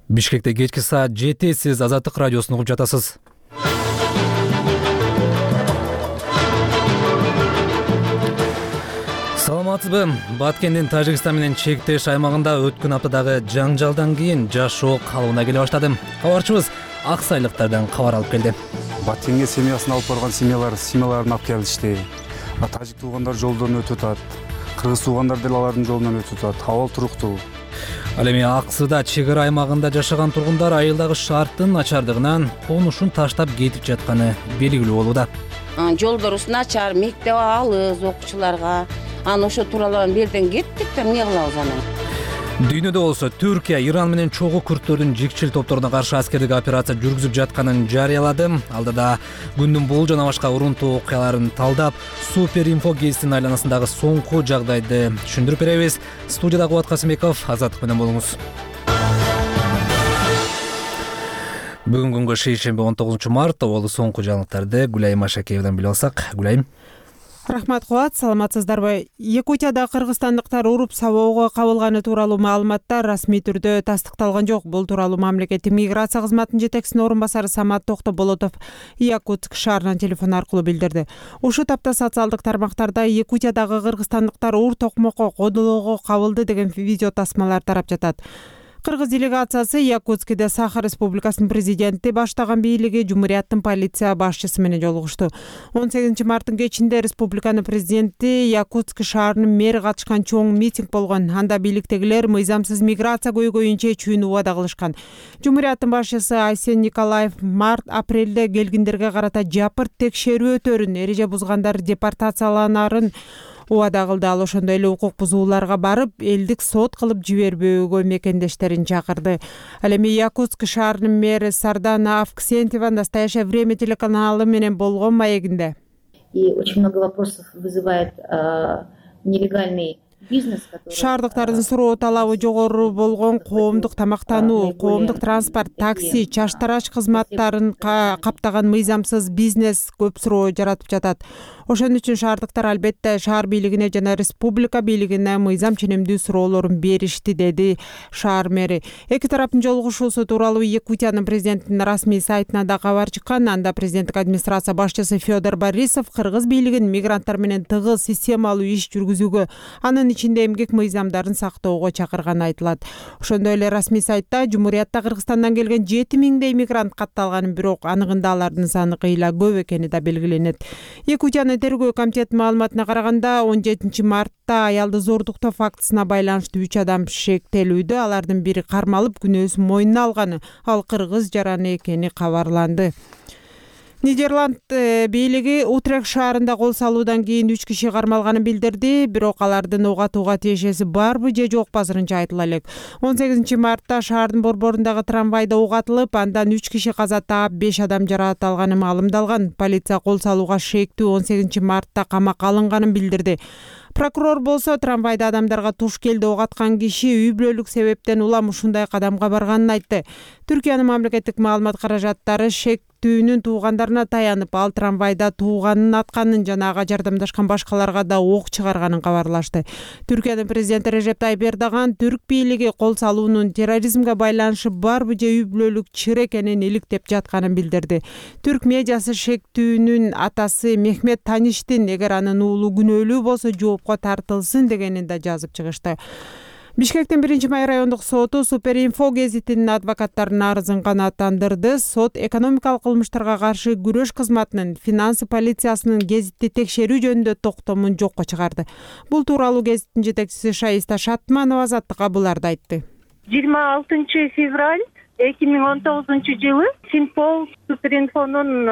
Бишкекте кечки саат 7 сиз Азаттык радиосун угуп жатасыз. Саламатсызбы? Баткендин Тажикстан менен чектеш аймагында өткөн аптадагы жаңжалдан кийин жашоо калыбына келе баштады. Кабарчыбыз аксайлыктардан кабар алып келди. Баткенге семьясын алып барган семьяларын алып келишти. Тажик туугандар жолдон өтүп атат. Кыргыз туугандар деле алардын жолунан өтүп атат. Абал туруктуу. Ал эми Аксыда чек ара аймагында жашаган тургундар айылдагы шарттын начардыгынан конушун таштап кетип жатканы белгилүү болууда. Жолдорубуз начар, мектеп алыс окуучуларга. Ошо тууралуу берден кеттик да эмне кылабыз аны? Дүйнөдө болсо Түркия Иран менен чогуу күрттөрдүн жикчил топторуна каршы аскердик операция жүргүзүп жатканын жарыялады. Алдыда күндүн бул жана башка урунтуу окуяларын талдап, Суперинфо гезитинин айланасындагы соңку жагдайды түшүндүрүп беребиз. Студияда Кубат Касымбеков, Азаттык менен болуңуз. Бүгүн күнгө шейшемби 19 март болу соңку жаңылыктарды Гүлайым Ашакеевден билип алсак. Гүлайым. Рахмат Кубат, саламатсыздарбы? Якутияда кыргызстандыктар уруп сабоого кабылганы тууралуу маалыматтар расмий түрдө тастыкталган жок. Бул тууралуу мамлекеттик миграция кызматынын жетекчисинин орун басары Самат Токтоболотов Якутск шаарынан телефон аркылуу билдирди. Ушул тапта социалдык тармактарда Якутиядагы кыргызстандыктар уур токмокко кодолоого кабылды деген видео тасмалар тарап жатат. Кыргыз делегациясы Якутскиде Саха Республикасынын президенти баштаган бийлиги Жумурияттын полиция башчысы менен жолугушту. 18 марттын кечинде республиканын президенти Якутск шаарынын мэри катышкан чоң митинг болгон. Анда бийликтегилер мыйзамсыз миграция көйгөйүн чечүүнү убада кылышкан. Жумурияттын башчысы Айсен Николаев март-апрелде келгиндерге карата жапырт текшерүү өтөрүн, эреже бузгандар депортацияланарын убада кылды. Ал ошондой эле укук бузууларга барып, элдик сот кылып жибербөөгө мекендештерин чакырды. Ал эми Якутск шаарынын мэри Сардана Авксентьева «Настоящее время» телеканалы менен болгон маегинде. И очень много вопросов вызывает нелегальный бизнес, который... Шаардыктардын суроо талабы жогору болгон коомдук тамактануу, коомдук транспорт, такси, чаштараш кызматтарын каптаган мыйзамсыз бизнес көп суроо жаратып жатат. Ошон үчүн шаардыктар албетте шаар бийлигине жана республика бийлигине мыйзам ченемдүү суроолорун беришти, деди шаар мэри. Эки тараптын жолугушуусу тууралуу Якутиянын президентинин расмий сайтына да кабар чыккан. Анда президенттик администрация башчысы Федор Борисов кыргыз бийлигин мигранттар менен тыгыз системалуу иш жүргүзүүгө, анын ичинде эмгек мыйзамдарын сактоого чакырганы айтылат. Ошондой эле расмий сайтта Жумуриятта Кыргызстандан келген 7000дей мигрант катталганын, бирок аныгында алардын саны кыйла көп экени да белгиленет. Якутиянын тергөө комитетинин маалыматына караганда 17 мартта аялды зордуктоо фактысына байланыштуу 3 адам шектелүүдө. Алардын бири кармалып, күнөөсүн мойнуна алганы, ал кыргыз жараны экени кабарланды. Нидерланд бийлиги Утрехт шаарында кол салуудан кийин 3 киши кармалганын билдирди, бирок алардын ок атууга тиешеси барбы же жок азырынча айтыла элек. 18 мартта шаардын борборундагы трамвайда ок атылып, андан 3 киши каза таап, 5 адам жаракат алганы маалымдалган. Полиция кол салууга шектүү 18 мартта камакка алынганын билдирди. Прокурор болсо трамвайда адамдарга туш келди ок аткан киши үй бүлөлүк себептен улам ушундай кадамга барганын айтты. Түркиянын мамлекеттик маалымат каражаттары шектүүнүн туугандарына таянып, ал трамвайда тууганын атканын жана ага жардамдашкан башкаларга да ок чыгарганын кабарлашты. Түркиянын президенти Режеп Тайип Эрдоган түрк бийлиги кол салуунун терроризмге байланышы барбы же үй бүлөлүк чыр экенин иликтеп жатканын билдирди. Түрк медиасы шектүүнүн атасы Мехмет Таништин эгер анын уулу күнөөлүү болсо жоопко тартылсын дегенин да жазып чыгышты. Бишкектин 1-май райондук соту Суперинфо гезитинин адвокаттарынын арызын канааттандырды. Сот экономикалык кылмыштарга каршы күрөш кызматынын финансы полициясынын гезитти текшерүү жөнүндө токтомун жокко чыгарды. Бул тууралуу гезиттин жетекчиси Шаиста Шатманова Азаттыкка буларды айтты. 26 февраль 2019 жылы Синпол Суперинфонун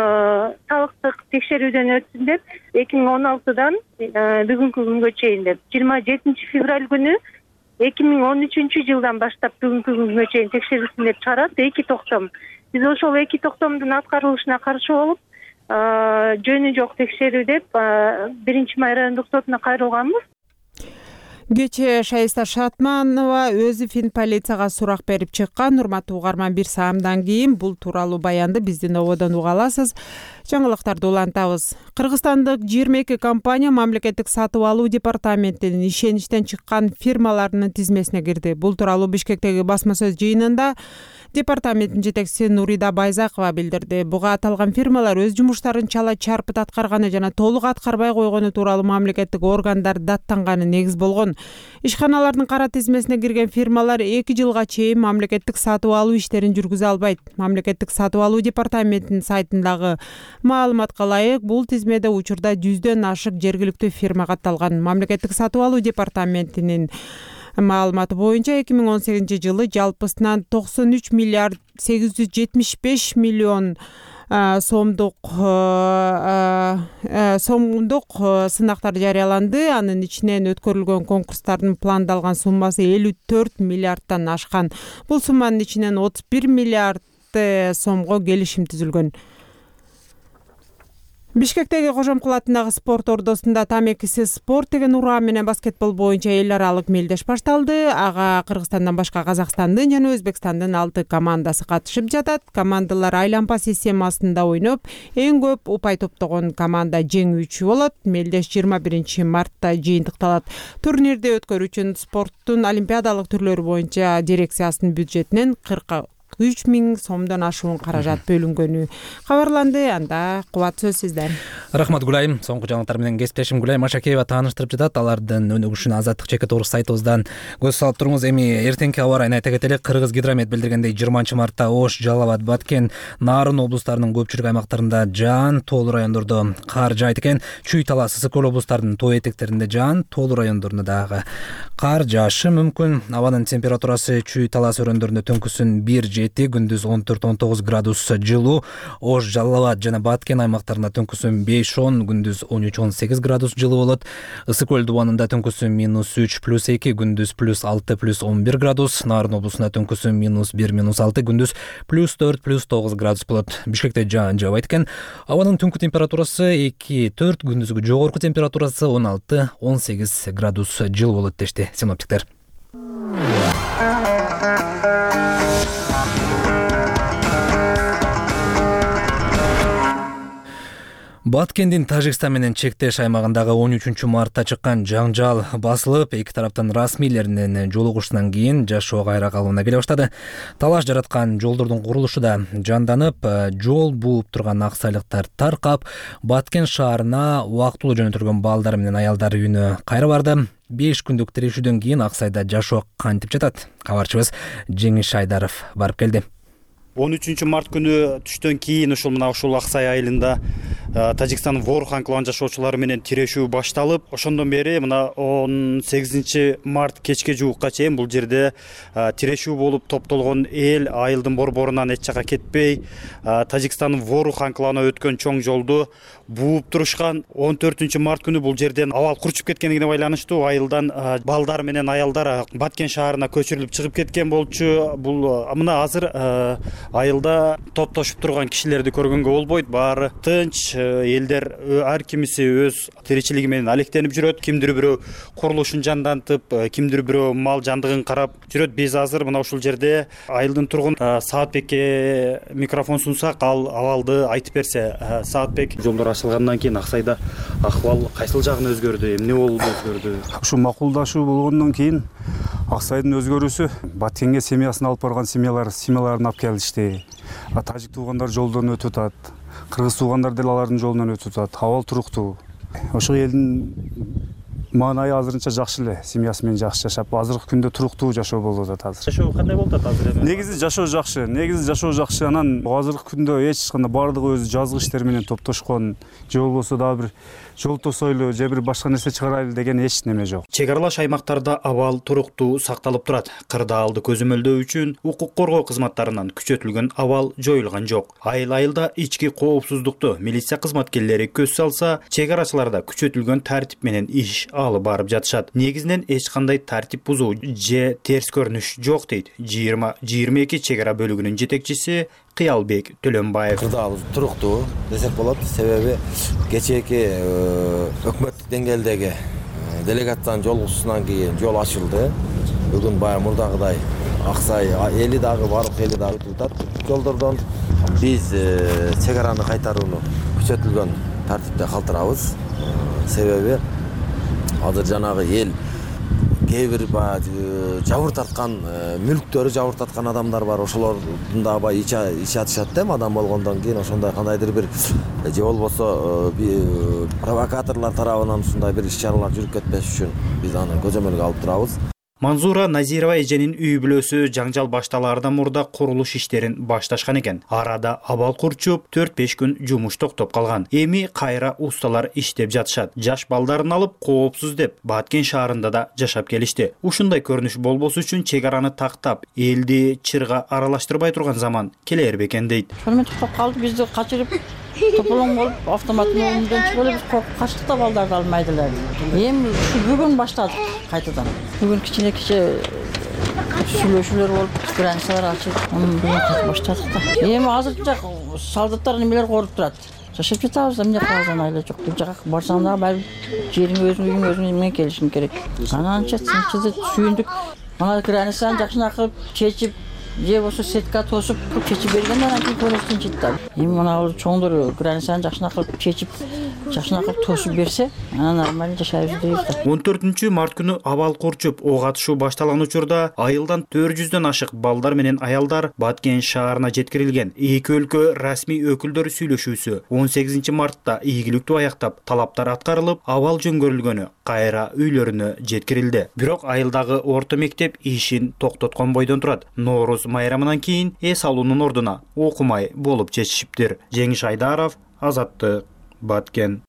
салыктык текшерүүдөн өтсүн деп 2016дан бүгүнкү күнгө чейин деп 27 февраль күнү 2013 жылдан баштап бүгүнкү күнгө чейин текшерилсин деп чыгарат 2 токтом. Биз ошол 2 токтомдун аткарылышына каршы болуп, жөнү жок текшерүү деп 1-май райондук сотуна кайрылганбыз. Кечээ Шаиста Шатманова өзү фин полицияга сурак берип чыккан. Урматтуу угарман, 1 саамдан кийин бул тууралуу баянды биздин ободон уга аласыз. Жаңылыктарды улантабыз. Кыргызстандык 22 компания мамлекеттик сатып алуу департаментинин ишеничтен чыккан фирмаларынын тизмесине кирди. Бул тууралуу Бишкектеги басма сөз жыйынында департаменттин жетекчиси Нурида Байзакова билдирди. Буга аталган фирмалар өз жумуштарын чала чарпыт аткарганы жана толук аткарбай койгону тууралуу мамлекеттик органдар даттанганы негиз болгон. Ишканалардын кара тизмесине кирген фирмалар 2 жылга чейин мамлекеттик сатып алуу иштерин жүргүзө албайт. Мамлекеттик сатып алуу департаментинин сайтындагы маалыматка ылайык, бул тизмеде учурда 100дөн ашык жергиликтүү фирма катталган. Мамлекеттик сатып алуу департаментинин маалыматы боюнча 2018 жылы жалпысынан 93 миллиард 875 миллион сомдук сынактар жарыяланды. Анын ичинен өткөрүлгөн конкурстардын пландалган суммасы 54 миллиардтан ашкан. Бул сумманын ичинен 31 миллиард сомго келишим түзүлгөн. Бишкектеги Кожомкул атындагы спорт ордосунда тамекисиз спорт деген ураа менен баскетбол боюнча эл аралык мелдеш башталды. Ага Кыргызстандан башка Казакстандын жана Өзбекстандын 6 командасы катышып жатат. Командалар айлампа системасында ойноп, эң көп упай топтогон команда жеңүүчү болот. Мелдеш 21 мартта жыйынтыкталат. Турнирди өткөрүүчү спорттун олимпиадалык түрлөрү боюнча дирекциясынын бюджетинен 43 миң сомдон ашуун каражат бөлүнгөнү кабарланды. Анда Кубат сөз сизде. Рахмат Гүлайым. Соңку жаңылыктар менен кесиптешим Гүлайым Машакеева тааныштырып жатат. Алардын өнүгүшүн Азаттык чекит орус сайтыбыздан көз салып туруңуз. Эми эртеңки аба ырайын айта кетели. Кыргыз гидромет билдиргендей 20 мартта Ош, Жалал Абад, Баткен, Нарын облустарынын көпчүлүк аймактарында жаан, тоолуу райондордо кар жаайт экен. Чүй, Талас, Ысык көл облустарынын тоо этектеринде жаан, тоолуу райондорунда дагы кар жаашы мүмкүн. Абанын температурасы Чүй, Талас өрөөндөрүндө түнкүсүн 1-7, күндүз 14-19 градус жылуу. Ош, Жалал Абад жана Баткен аймактарында түнкүсүн 5-10, күндүз 13-18 градус жылуу болот. Ысык көл дубанында түнкүсүн -3+2, күндүз +6+11 градус. Нарын облусунда түнкүсүн -1-6, күндүз +4+9 градус болот. Бишкекте жаан жаабайт экен. Абанын түнкү температурасы 2-4, күндүзгү жогорку температурасы 16-18 градус жылуу болот дешти синоптиктер. Баткендин Тажикстан менен чектеш аймагындагы 13 мартта чыккан жаңжал басылып, эки тараптын расмийлеринин жолугушунан кийин жашоо кайра калыбына келе баштады. Талаш жараткан жолдордун курулушу да жанданып, жол бууп турган аксайлыктар таркап, Баткен шаарына убактылуу жөнөтүлгөн балдар менен аялдар үйүнө кайра барды. 5 күндүк тирешүүдөн кийин Аксайда жашоо кантип жатат? Кабарчыбыз Жеңиш Айдаров барып келди. 13 март күнү түштөн кийин ушул Аксай айылында Тажикстандын Ворхан клан жашоочулары менен тирешүү башталып, ошондон бери мына 18 март кечке жуукка чейин бул жерде тирешүү болуп топтолгон эл айылдын борборунан эч жака кетпей, Тажикстандын Ворхан кланы өткөн чоң жолду бууп турушкан. 14 март күнү бул жерден абал курчуп кеткендигине байланыштуу айылдан балдар менен аялдар Баткен шаарына көчүрүлүп чыгып кеткен болчу. Бул мына азыр айылда топтошуп турган кишилерди көргөнгө болбойт. Баары тынч, элдер ар кимиси өз тиричилиги менен алектенип жүрөт. Кимдир бирөө курулушун жандантып, кимдир бирөө мал жандыгын карап жүрөт. Биз азыр мына ушул жерде айылдын тургун Саатбекке микрофон сунсак, ал абалды айтып берсе. Саатбек, жолдор ачылгандан кийин Аксайда акыбал кайсыл жагына өзгөрдү? Эмне болду өзгөрдү? Ушу макулдашуу болгондон кийин Аксайдын өзгөрүүсү, Баткенге семьясын алып барган семьяларын алып келишти. Тажик туугандар жолдон өтүп атат. Кыргыз туугандар деле алардын жолунан өтүп атат. Абал туруктуу. Ошол элдин маанайы азырынча жакшы эле. Семьясы менен жакшы жашап, азыркы күндө туруктуу жашоо болуп атат азыр. Жашоо кандай болуп атат азыр? Негизи жашоо жакшы. Анан азыркы күндө эч кандай баардыгы өз жазгы иштери менен топтошкон. Же болбосо дагы бир жол тосойлу, же бир башка нерсе чыгарайлы деген эч неме жок. Чек аралаш аймактарда абал туруктуу сакталып турат. Кырдаалды көзөмөлдөө үчүн укук коргоо кызматтарынан күчөтүлгөн абал жоюлган жок. Айыл-айылда ички коопсуздукту милиция кызматкерлери көз салса, чек арачыларда күчөтүлгөн тартип менен иш алып барып жатышат. Негизинен эч кандай тартип бузуу же терс көрүнүш жок дейт 20-22 чек ара бөлүгүнүн жетекчиси Кыялбек Төлөнбаев. Кырдаал туруктуу десек болот. Себеби кечээки өкмөттүк деңгээлдеги делегаттын жолугушусунан кийин жол ачылды. Бүгүн баягы мурдагыдай Аксай эли дагы баардык эли дагы өтүп атат жолдордон. Биз чек араны кайтарууну күчөтүлгөн тартипте калтырабыз. Себеби азыр жанагы эл кээ бир жабыр тарткан мүлктөрү жабыр тарткан адамдар бар. Ошолордун да аябай ичи атышат да адам болгондон кийин ошондой кандайдыр бир же болбосо провокаторлор тарабынан ушундай бир иш-чаралар жүрүп кетпеш үчүн биз аны көзөмөлгө алып турабыз. Манзура Назирова эженин үй бүлөсү жаңжал башталаардан мурда курулуш иштерин башташкан экен. Арада абал курчуп 4-5 күн жумуш токтоп калган. Эми кайра усталар иштеп жатышат. Жаш балдарын алып коопсуз деп Баткен шаарында да жашап келишти. Ушундай көрүнүш болбосу үчүн чек араны тактап, элди чырга аралаштырбай турган заман келер бекен дейт. Ошону токтоп калды, бизди качырып тополоң болуп автоматтын önүндөн чыгып эле биз коркуп качтык да балдарды алмайдылар. Эми бүгүн баштадык кайтадан. Бүгүн кичине сүйлөшүүлөр болуп, границалар ачылып, бүгүн баштадык да. Эми азырынча солдаттар немелер коруп турат. Жашап жатабыз, эмне калган айла жок. Бул жака барсаң да баары жериң өзүң, үйүң өзүң менен келишиң керек. Ананча тынчыды, сүйүндүк. Мына границаны жакшына кылып чечип, же болсо сетка тосуп чечип бергенде анан кийин көңүл тынчыйт да. Эми мына чоңдор границаны жакшына кылып чечип, жакшына кылып тосуп берсе, анан нормально жашайбыз дейбиз да. 14 март күнү абал курчуп ок атышуу башталган учурда айылдан 400дөн ашык балдар менен аялдар Баткен шаарына жеткирилген. Эки өлкө расмий өкүлдөрү сүйлөшүүсү 18 мартта ийгиликтүү аяктап, талаптар аткарылып, абал жөнгөрүлгөнү кайра үйлөрүнө жеткирилди. Бирок айылдагы орто мектеп ишин токтоткон бойдон турат. Нооруз майрамынан кийин эс алуунун ордуна окумай болуп чечишиптир. Жеңиш Айдаров, Азаттык, Баткен.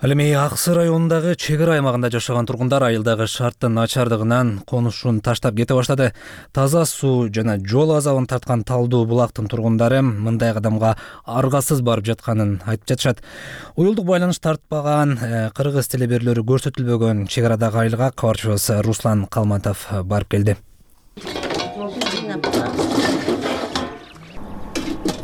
Ал эми Аксы районундагы чек ара аймагында жашаган тургундар айылдагы шарттын начардыгынан конушун таштап кете баштады. Таза суу жана жол азабын тарткан Талдуу булактын тургундары мындай кадамга аргасыз барып жатканын айтып жатышат. Уюлдук байланыш тартпаган, кыргыз телеберлери көрсөтүлбөгөн чек арадагы айылга кабарчыбыз Руслан Калматов барып келди.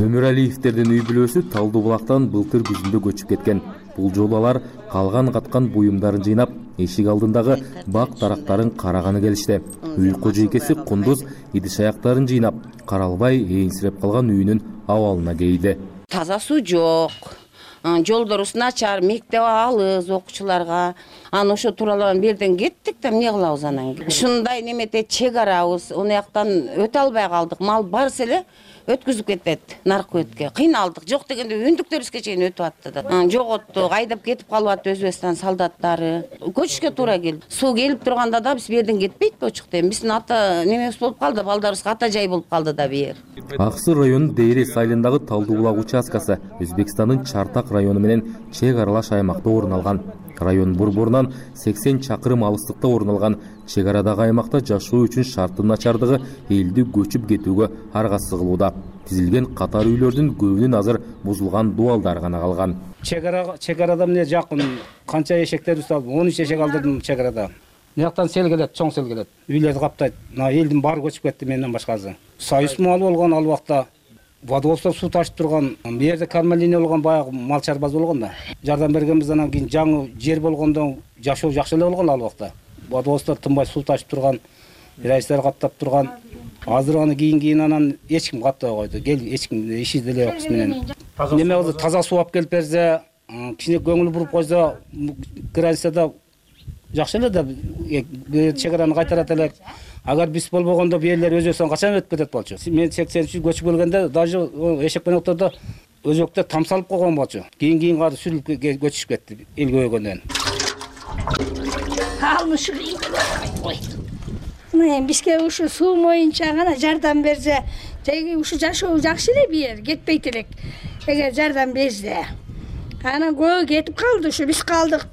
Өмүралиевтердин үй бүлөсү Талдуу булактан былтыр күзүндө көчүп кеткен. Бул жолу алар калган каткан буюмдарын жыйнап, эшик алдындагы бак тарактарын караганы келишти. Үй кожойкеси Кундуз идиш аяктарын жыйнап, каралбай эйинсиреп калган үйүнүн абалына кейди. Таза суу жок. Жолдорубуз начар, мектеп алыс окуучуларга. Аны ошо тууралуу берден кеттик да эмне кылабыз анан? Ушундай немете чек арабыз, уну жактан өтө албай калдык. Мал барса эле өткүзүп кетет наркы өткө. Кыйналдык. Жок дегенде үндүктөрүбүзгө чейин өтүп атты да. Жоготтук, айдап кетип калып атты Өзбекстан солдаттары. Көчүшкө туура келди. Суу келип турганда да биз берден кетпейт болчук. Биздин ата немебиз болуп калды, балдарыбызга ата жай болуп калды да бер. Аксы районунун Дейрес айылындагы Талдуу булак участкасы Өзбекстандын Чартак району менен чек аралаш аймакта орун алган. Район борборунан 80 чакырым алыстыкта орун алган чек арадагы аймакта жашоо үчүн шарттын начардыгы элди көчүп кетүүгө аргасыз кылууда. Тизилген катар үйлөрдүн көбүнүн азыр бузулган дубалдары гана калган. Чек арада эмне жакын канча эшектерди салып, 13 эшек алдырдым чек арада. Мынаяктан сел келет, чоң сел келет. Үйлөрдү каптайт. Мына элдин баары көчүп кетти менден башкасы. Союз малы болгон ал убакта. Водоводство суу ташып турган, бу жерде кармалиния болгон баягы мал чарбаз болгон да. Жардам бергенбиз, анан кийин жаңы жер болгондон жашоо жакшы эле болгон ал убакта. Водоводство тынбай суу ташып турган, рейстер каттап турган. Азыр аны кийин анан эч ким каттабай койду. Кел эч ким иши деле жок менен. Неме болду, таза суу алып келип берсе, кичине көңүл буруп койсо, границада жакшы эле да чек араны кайтарат элек. Агар биз болбогондо бу элдер Өзбекстанга качан өтүп кетет болчу. Мен 83 көчүп келгенде даже эшек менен отурду өзөктө там салып койгон болчу. Кийин кары сүрүлүп көчүшүп кетти эл көбөйгөндөн. Бизге ушу суу боюнча гана жардам берсе, теги ушу жашоо жакшы эле бир кетпейт элек. Эгер жардам берсе. Анан көбү кетип калды, ушу биз калдык.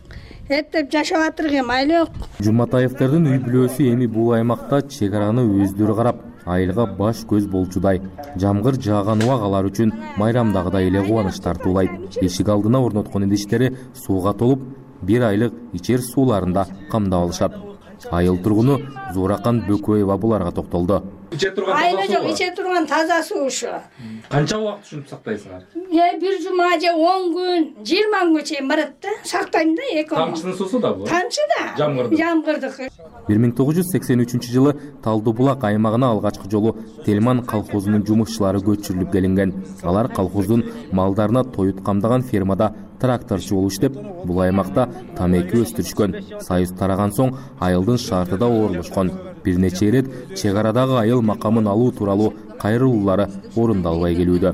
Эптеп жашап атыргы майлы жок. Жуматаевтердин үй бүлөсү эми бул аймакта чек араны өздөрү карап, айылга баш көз болчудай. Жамгыр жааган убак алар үчүн майрамдагыдай эле кубаныч тартуулайт. Эшик алдына орноткон идиштери сууга толуп, 1 айлык ичер сууларында камдап алышат. Айыл тургуну Зууракан Бөкөева буларга токтолду. иче турган айла жок, иче турган таза суу ушу. Канча убакыт ушинтип сактайсыңар? Бир жума же 10 күн, 20 күнгө чейин барат да. Сактайм да 2 ай. Тамчынын суусу да бул? Тамчы да. Жамгырдык. 1983-жылы Талдуу булак аймагына алгачкы жолу Телман колхозунун жумушчулары көчүрүлүп келинген. Алар колхоздун малдарына тоют камдаган фермада тракторчу болуп иштеп, бул аймакта тамеки өстүрүшкөн. Союз тараган соң айылдын шартыда орношкон. Бир нече ирет чек арадагы айыл макамын алуу тууралуу кайрылуулары орундалбай келүүдө.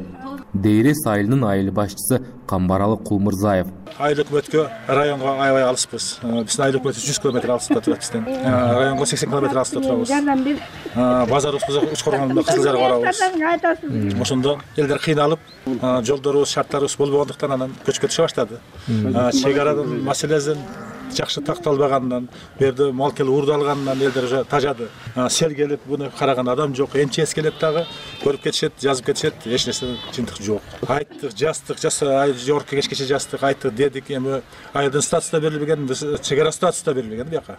Дейрес айылынын айыл башчысы Камбаралы Кулмырзаев. Айыл өкмөткө районго аябай алыспыз. Биздин айыл өкмөтү 100 км алыста турат бизден. Районго 80 км алыста турабыз. Базарыбызга Учкоргондо Кызыл Жарга барабыз. Ошондо элдер кыйналып, жолдорубуз, шарттарыбыз болбогондуктан анан көчкө түшө баштады. Чек аранын маселесин жакшы такталбагандан, бу жерде мал келип уурдалгандан элдер уже тажады. Сел келип, буну караган адам жок. МЧС келет дагы, көрүп кетишет, жазып кетишет, эч нерсе жыйынтык жок. Айттык, жастык, жогорку кеңешкече жастык, айттык, дедик, эми айылдын статусу да берилбеген, чек ара статусу да берилбеген бияка.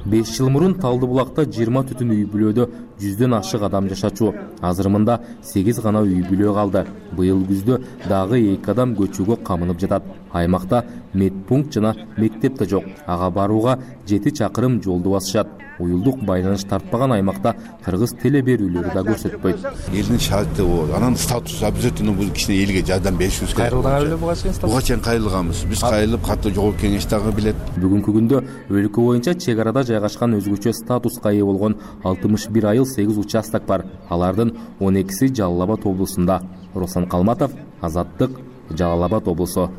5 жыл мурун Талдуу булакта 20 түтүн үй бүлөдө 100дөн ашык адам жашачу. Азыр мында 8 гана үй бүлө калды. Быйыл күздө дагы 2 адам көчүүгө камынып жатат. Аймакта медпункт жана мектеп да жок. Ага барууга 7 чакырым жолду басышат. Уюлдук байланыш тартпаган аймакта кыргыз теле берүүлөрү да көрсөтпөйт. Элдин шарты бул. Анан статус обязательно бул кичине элге жардам беришибиз керек. Кайрылдыңар беле буга чейин статус? Буга чейин кайрылганбыз. Биз кайрылып, катуу жогорку кеңеш дагы билет. Бүгүнкү күндө өлкө боюнча чек арада жайгашкан өзгөчө статуска ээ болгон 61 айыл 8 участок бар. Алардын 12си Жалал Абад облусунда. Руслан Калматов, Азаттык, Жалал Абад облусу.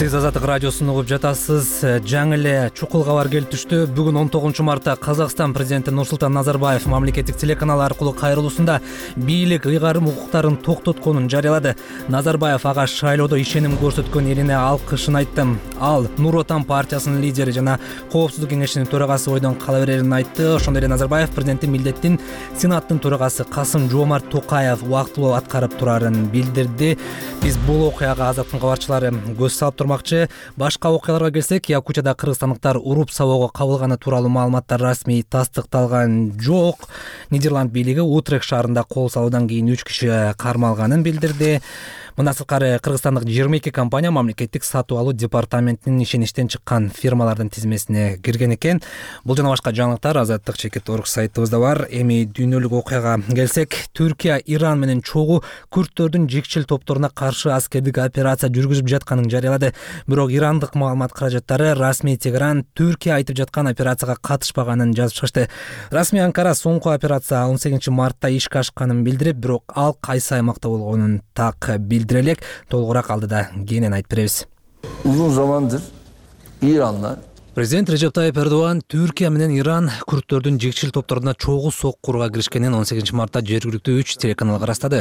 Сиз Азаттык радиосун угуп жатасыз. Жаңы эле чукул кабар келип түштү. Бүгүн 19 мартта Казакстан президенти Нурсултан Назарбаев мамлекеттик телеканал аркылуу кайрылуусунда бийлик ыйгарым укуктарын токтотконун жарыялады. Назарбаев ага шайлоодо ишеним көрсөткөн элине алкышын айтты. Ал Нур Отан партиясынын лидери жана Коопсуздук кеңешинин төрагасы бойдон кала берерин айтты. Ошондой эле Назарбаев президенттин милдеттин Сенаттын төрагасы Касым Жомарт Токаев убактылуу аткарып турарын билдирди. Биз бул окуяга Азаттыктын кабарчылары көз салып турмакчы. Башка окуяларга келсек, Якутияда кыргызстандыктар уруп сабоого кабылганы тууралуу маалыматтар расмий тастыкталган жок. Нидерланд бийлиги Утрехт шаарында кол салуудан кийин 3 киши кармалганын билдирди. Мындан сырткары кыргызстандык 22 компания мамлекеттик сатып алуу департаментинин ишеништен чыккан фирмалардын тизмесине кирген экен. Бул жана башка жаңылыктар Азаттык.org сайтыбызда бар. Эми дүйнөлүк окуяга келсек, Түркия Иран менен чогуу күрттөрдүн жикчил топторуна каршы аскердик операция жүргүзүп жатканын жарыялады. Бирок ирандык маалымат каражаттары расмий Тегеран Түркия айтып жаткан операцияга катышпаганын жазып чыгышты. Расмий Анкара соңку операция 18 мартта ишке ашканын билдирип, бирок ал кайсы аймакта болгонун так билдире элек. Толугураак алдыда кийинен айтып беребиз. Uzun zamandır İranlar Президент Режеп Тайип Эрдоган Түркия менен Иран күрттөрдүн жикчил топторуна чогуу соккурга киришкенин 18 мартта жергиликтүү 3 телеканалга ырастады.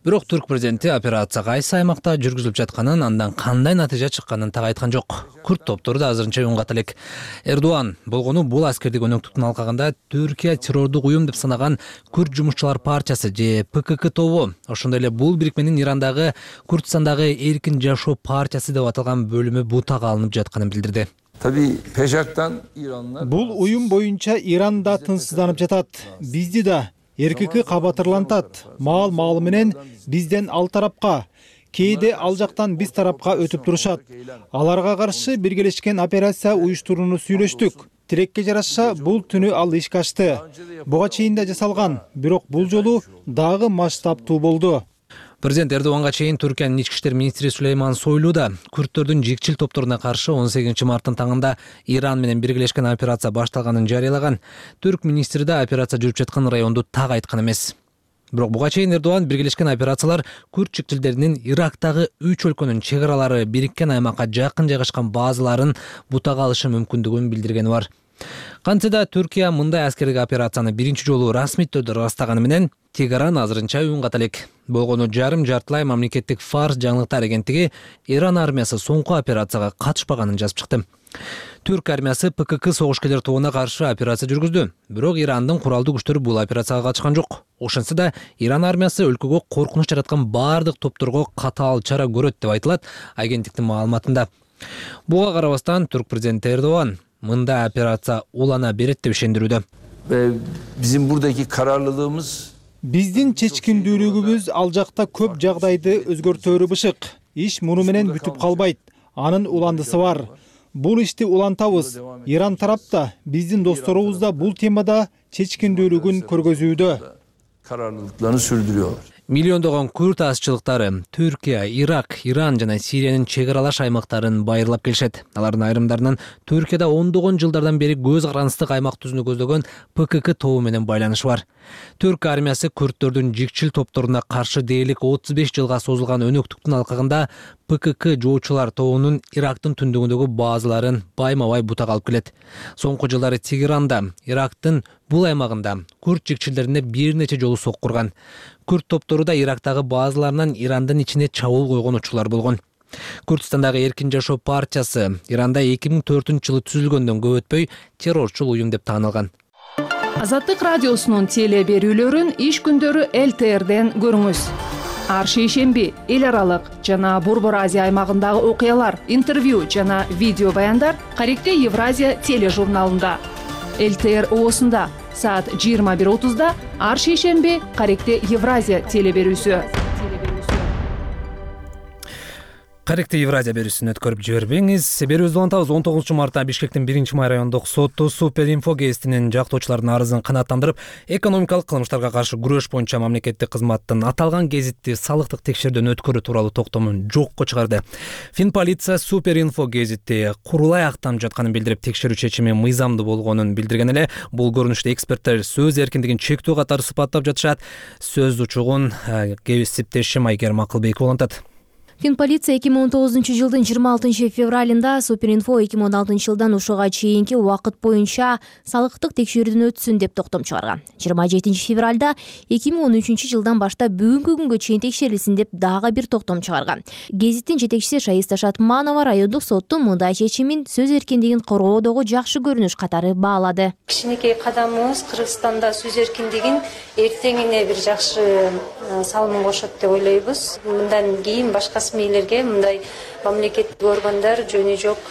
Бирок түрк президенти операция кайсы аймакта жүргүзүлүп жатканын, андан кандай натыйжа чыкканын так айткан жок. Күрт топтору да азырынча үн ката элек. Эрдоган болгону бул аскердик өнөктүктүн алкагында Түркия террордук уюм деп санаган Күрт жумушчулар партиясы же ПКК тобу, ошондой эле бул бирикменин Ирандагы Курдистандагы эркин жашоо партиясы деп аталган бөлүмү бутага алынып жатканын билдирди. tabii peşaktan İranlar Бул уюм боюнча Иран да тынчсызданып жатат. Бизди да эркики кабатырлантат. Маал менен бизден ал тарапка, кээде ал жактан биз тарапка өтүп турушат. Аларга каршы биргелешкен операция уюштурууну сүйлөштүк. Тилекке жараша бул түнү ал ишке ашты. Буга чейин да жасалган, бирок бул жолу дагы масштабтуу болду. Президент Эрдоганга чейин Түркиянын ички иштер министри Сулейман Сойлу да күрттөрдүн жикчил топторуна каршы 18 марттын таңында Иран менен биргелешкен операция башталганын жарыялаган. Түрк министри да операция жүрүп жаткан районду так айткан эмес. Бирок буга чейин Эрдоган биргелешкен операциялар күрт чикчилдеринин Ирактагы 3 өлкөнүн чек аралары бириккен аймакка жакын жайгашкан базаларын бутага алышы мүмкүндүгүн билдиргени бар. Кантсе да Түркия мындай аскердик операцияны биринчи жолу расмий түрдө ырастаганы менен Тегеран азырынча үн ката элек. Болгону жартылай мамлекеттик Фарс жаңылыктар агенттиги Иран армиясы соңку операцияга катышпаганын жазып чыкты. Түрк армиясы ПКК согушкерлер тобуна каршы операция жүргүздү. Бирок Ирандын куралдуу күчтөрү бул операцияга катышкан жок. Ошентсе да Иран армиясы өлкөгө коркунуч жараткан бардык топторго катаал чара көрөт деп айтылат агенттиктин маалыматында. Буга карабастан түрк президенти Эрдоган мындай операция улана берет деп ишендирүүдө. Bizim buradaki kararlılığımız Биздин чечкиндүүлүгүбүз ал жакта көп жагдайды өзгөртөөрү бышык. Иш муну менен бүтүп калбайт. Анын уландысы бар. Бул ишти улантабыз. Иран тарапта, биздин досторубуз да бул темада чечкиндүүлүгүн көргөзүүдө. Kararlılıklarını sürdürüyorlar. Миллиондогон күрд азчылыктары Түркия, Ирак, Иран жана Сириянын чек аралаш аймактарын байырлап келишет. Алардын айрымдарынын Түркияда ондогон жылдардан бери көз карандысты аймак түзүүнү көздөгөн ПКК тобу менен байланышы бар. Түрк армиясы күрдтөрдүн жикчил топторуна каршы дээрлик 35 жылга созулган өнөктүктүн алкагында ПКК жоочулар тобунун Ирактын түндүгүндөгү базаларын байма-бай бутак алып келет. Соңку жылдары Тегеранда, Ирактын бул аймагында күрд жикчилдерине бир нече жолу соккурган. Күрд топтору да Ирактагы базаларынан Ирандын ичине чабуул койгон учурлар болгон. Курдистандагы Эркин жашоо партиясы Иранда 2004-жылы түзүлгөндөн көп өтпөй террорчул уюм деп таанылган. Азаттык радиосунун теле берүүлөрүн иш күндөрү ЛТРден көрүңүз. Ар шейшемби эл аралык жана Борбор Азия аймагындагы окуялар, интервью жана видео баяндар Каректе Евразия тележурналында. ЛТР оосунда саат 21:30-да ар шейшемби Каректе Евразия теле берүүсү. Каректе Евразия берүүсүн өткөрүп жибербеңиз. Берүүбүздү улантабыз. 19 мартта Бишкектин 1-май райондук соту Суперинфо гезитинин жактоочулардын арызын канааттандырып, экономикалык кылмыштарга каршы күрөш боюнча мамлекеттик кызматтын аталган гезитти салыктык текшерүүдөн өткөрүү тууралуу токтомун жокко чыгарды. Финполиция Суперинфо гезитти курулай актанып жатканын билдирип, текшерүү чечими мыйзамдуу болгонун билдирген эле. Бул көрүнүштө эксперттер сөз эркиндигин чектөө катары сыпаттап жатышат. Сөз учугун кесиптешим Айгерим Акылбекова улантат. Финполиция 2019 жылдын 26 февралында Суперинфо 2016 жылдан ушуга чейинки убакыт боюнча салыктык текшерүүдөн өтсүн деп токтом чыгарган. 27 февралда 2013 жылдан баштап бүгүнкү күнгө чейин текшерилсин деп дагы бир токтом чыгарган. Гезиттин жетекчиси Шаиста Шатманова райондук соттун мындай чечимин сөз эркиндигин коргоодогу жакшы көрүнүш катары баалады. Кичинекей кадамыбыз Кыргызстанда сөз эркиндигин эртеңине бир жакшы салымын кошот деп ойлойбуз. Мындан кийин башка мейлерге мындай мамлекеттик органдар жөнү жок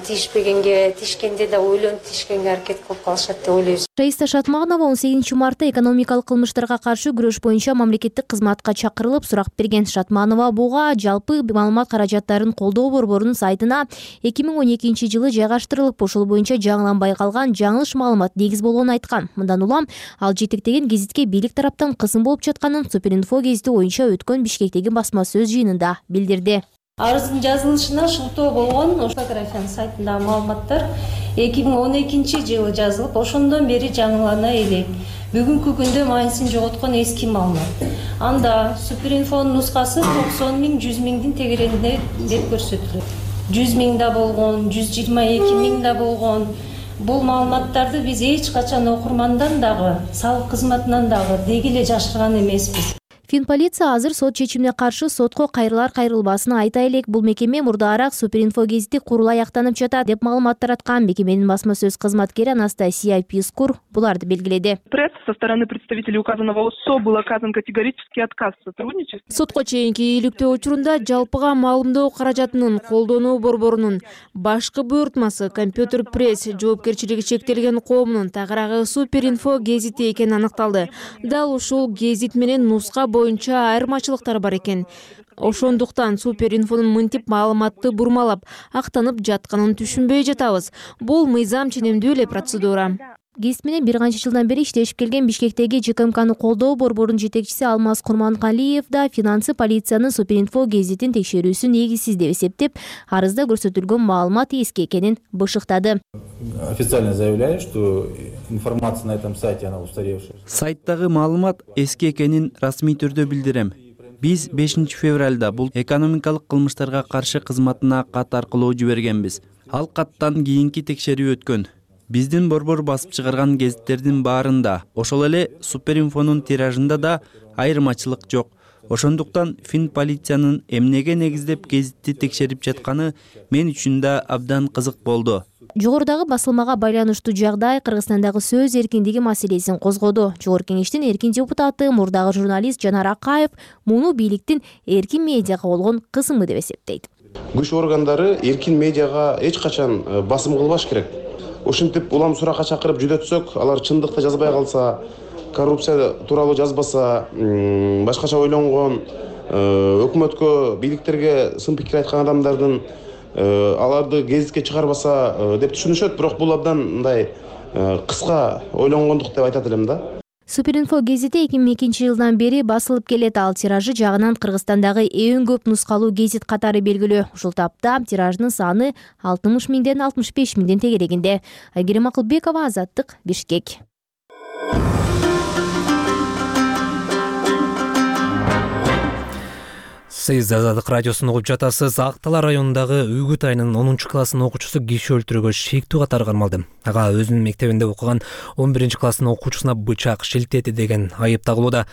тишкенде да ойлонуп тишкенге аракет кылып калышат деп ойлойбуз. Шаиста Шатманова 18 мартта экономикалык кылмыштарга каршы күрөш боюнча мамлекеттик кызматка чакырылып сурак берген. Шатманова буга жалпы маалымат каражаттарын колдоо борборунун сайтына 2012 жылы жайгаштырылып, ошол боюнча жаңыланбай калган жаңылыш маалымат негиз болгонун айткан. Мындан улам ал жетектеген гезитке бийлик тараптан кысым болуп жатканын Суперинфо гезити боюнча өткөн Бишкектеги басма сөз жыйынында билдирди. Арыздын жазылышына шылтоо болгон фотографиянын сайтындагы маалыматтар 2012 жылы жазылып, ошондон бери жаңылана элек. Бүгүнкү күндө майнысын жоготкон эски маалымат. Анда Суперинфонун нускасы 90 миң, 100 миңдин тегерегинде деп көрсөтүлөт. 100 миң да болгон, 122 миң да болгон. Бул маалыматтарды биз эч качан окурмандан дагы, салык кызматынан дагы деги эле жашырган эмеспиз. Финполиция азыр сот чечимине каршы сотко кайрылар кайрылбасын айта элек. Бул мекеме мурдаараак Суперинфо гезити курулай актанып жатат деп маалымат тараткан. Мекеменин басма сөз кызматкери Анастасия Пискур буларды белгиледи. Со стороны представителей указанного ОСО был оказан категорический отказ в сотрудничестве. Сотко чейинки ийгиликтөө учурунда жалпыга маалымдоо каражатынын колдонуу борборунун башкы буйртмасы Компьютер пресс жоопкерчилиги чектелген коомунун тагыраагы Суперинфо гезити экени аныкталды. Дал ушул гезит менен нуска боюнча айырмачылыктар бар экен. Ошондуктан Суперинфонун мынтип маалыматты бурмалап, актанып жатканын түшүнбөй жатабыз. Бул мыйзам ченемдүү эле процедура. Гезит менен бир канча жылдан бери иштешип келген Бишкектеги ЖКМКны колдоо борборунун жетекчиси Алмаз Курмангалиев да финансы полициянын Суперинфо гезитин текшерүүсү негизсиз деп эсептеп, арызда көрсөтүлгөн маалымат эски экенин бышыктады. Официально заявляю, что информация на этом сайте она устаревшая. Сайттагы маалымат эски экенин расмий түрдө билдирем. Биз 5 февралда бул экономикалык кылмыштарга каршы кызматына кат аркылуу жибергенбиз. Ал каттан кийинки текшерүү өткөн. Биздин борбор басып чыгарган гезиттердин баарында, ошол эле Суперинфонун тиражында да айырмачылык жок. Ошондуктан Финполициянын эмнеге негиздеп гезитти текшерип жатканы мен үчүн да абдан кызык болду. Жогорудагы басылмага байланыштуу жагдай Кыргызстандагы сөз эркиндиги маселесин козгоду. Жогорку кеңештин эркин депутаты, мурдагы журналист Жанар Акаев муну бийликтин эркин медиага болгон кысымы деп эсептейт. Күч органдары эркин медиага эч качан басым кылбаш керек. Ошентип улам суракка чакырып жүдөтсөк, алар чындыкты жазбай калса, коррупция тууралуу жазбаса, башкача ойлонгон, өкмөткө, бийликтерге сын пикир айткан адамдардын аларды гезитке чыгарбаса деп түшүнүшөт. Бирок бул абдан мындай кыска ойлонгондук деп айтат элем да. Суперинфо гезити 2002 жылдан бери басылып келет. Ал тиражы жагынан Кыргызстандагы эң көп нускалуу гезит катары белгилүү. Ушул тапта тираждын саны 60 миңден 65 миңден тегерегинде. Айгерим Акылбекова, Азаттык, Бишкек. Сиз Азаттык радиосун угуп жатасыз. Актала районундагы Үгүт айынын 10-класстын окуучусу киши өлтүрүүгө шектүү катары кармалды. Ага өзүнүн мектебинде окуган 11-класстын окуучусуна бычак шилтеди деген айып тагылууда.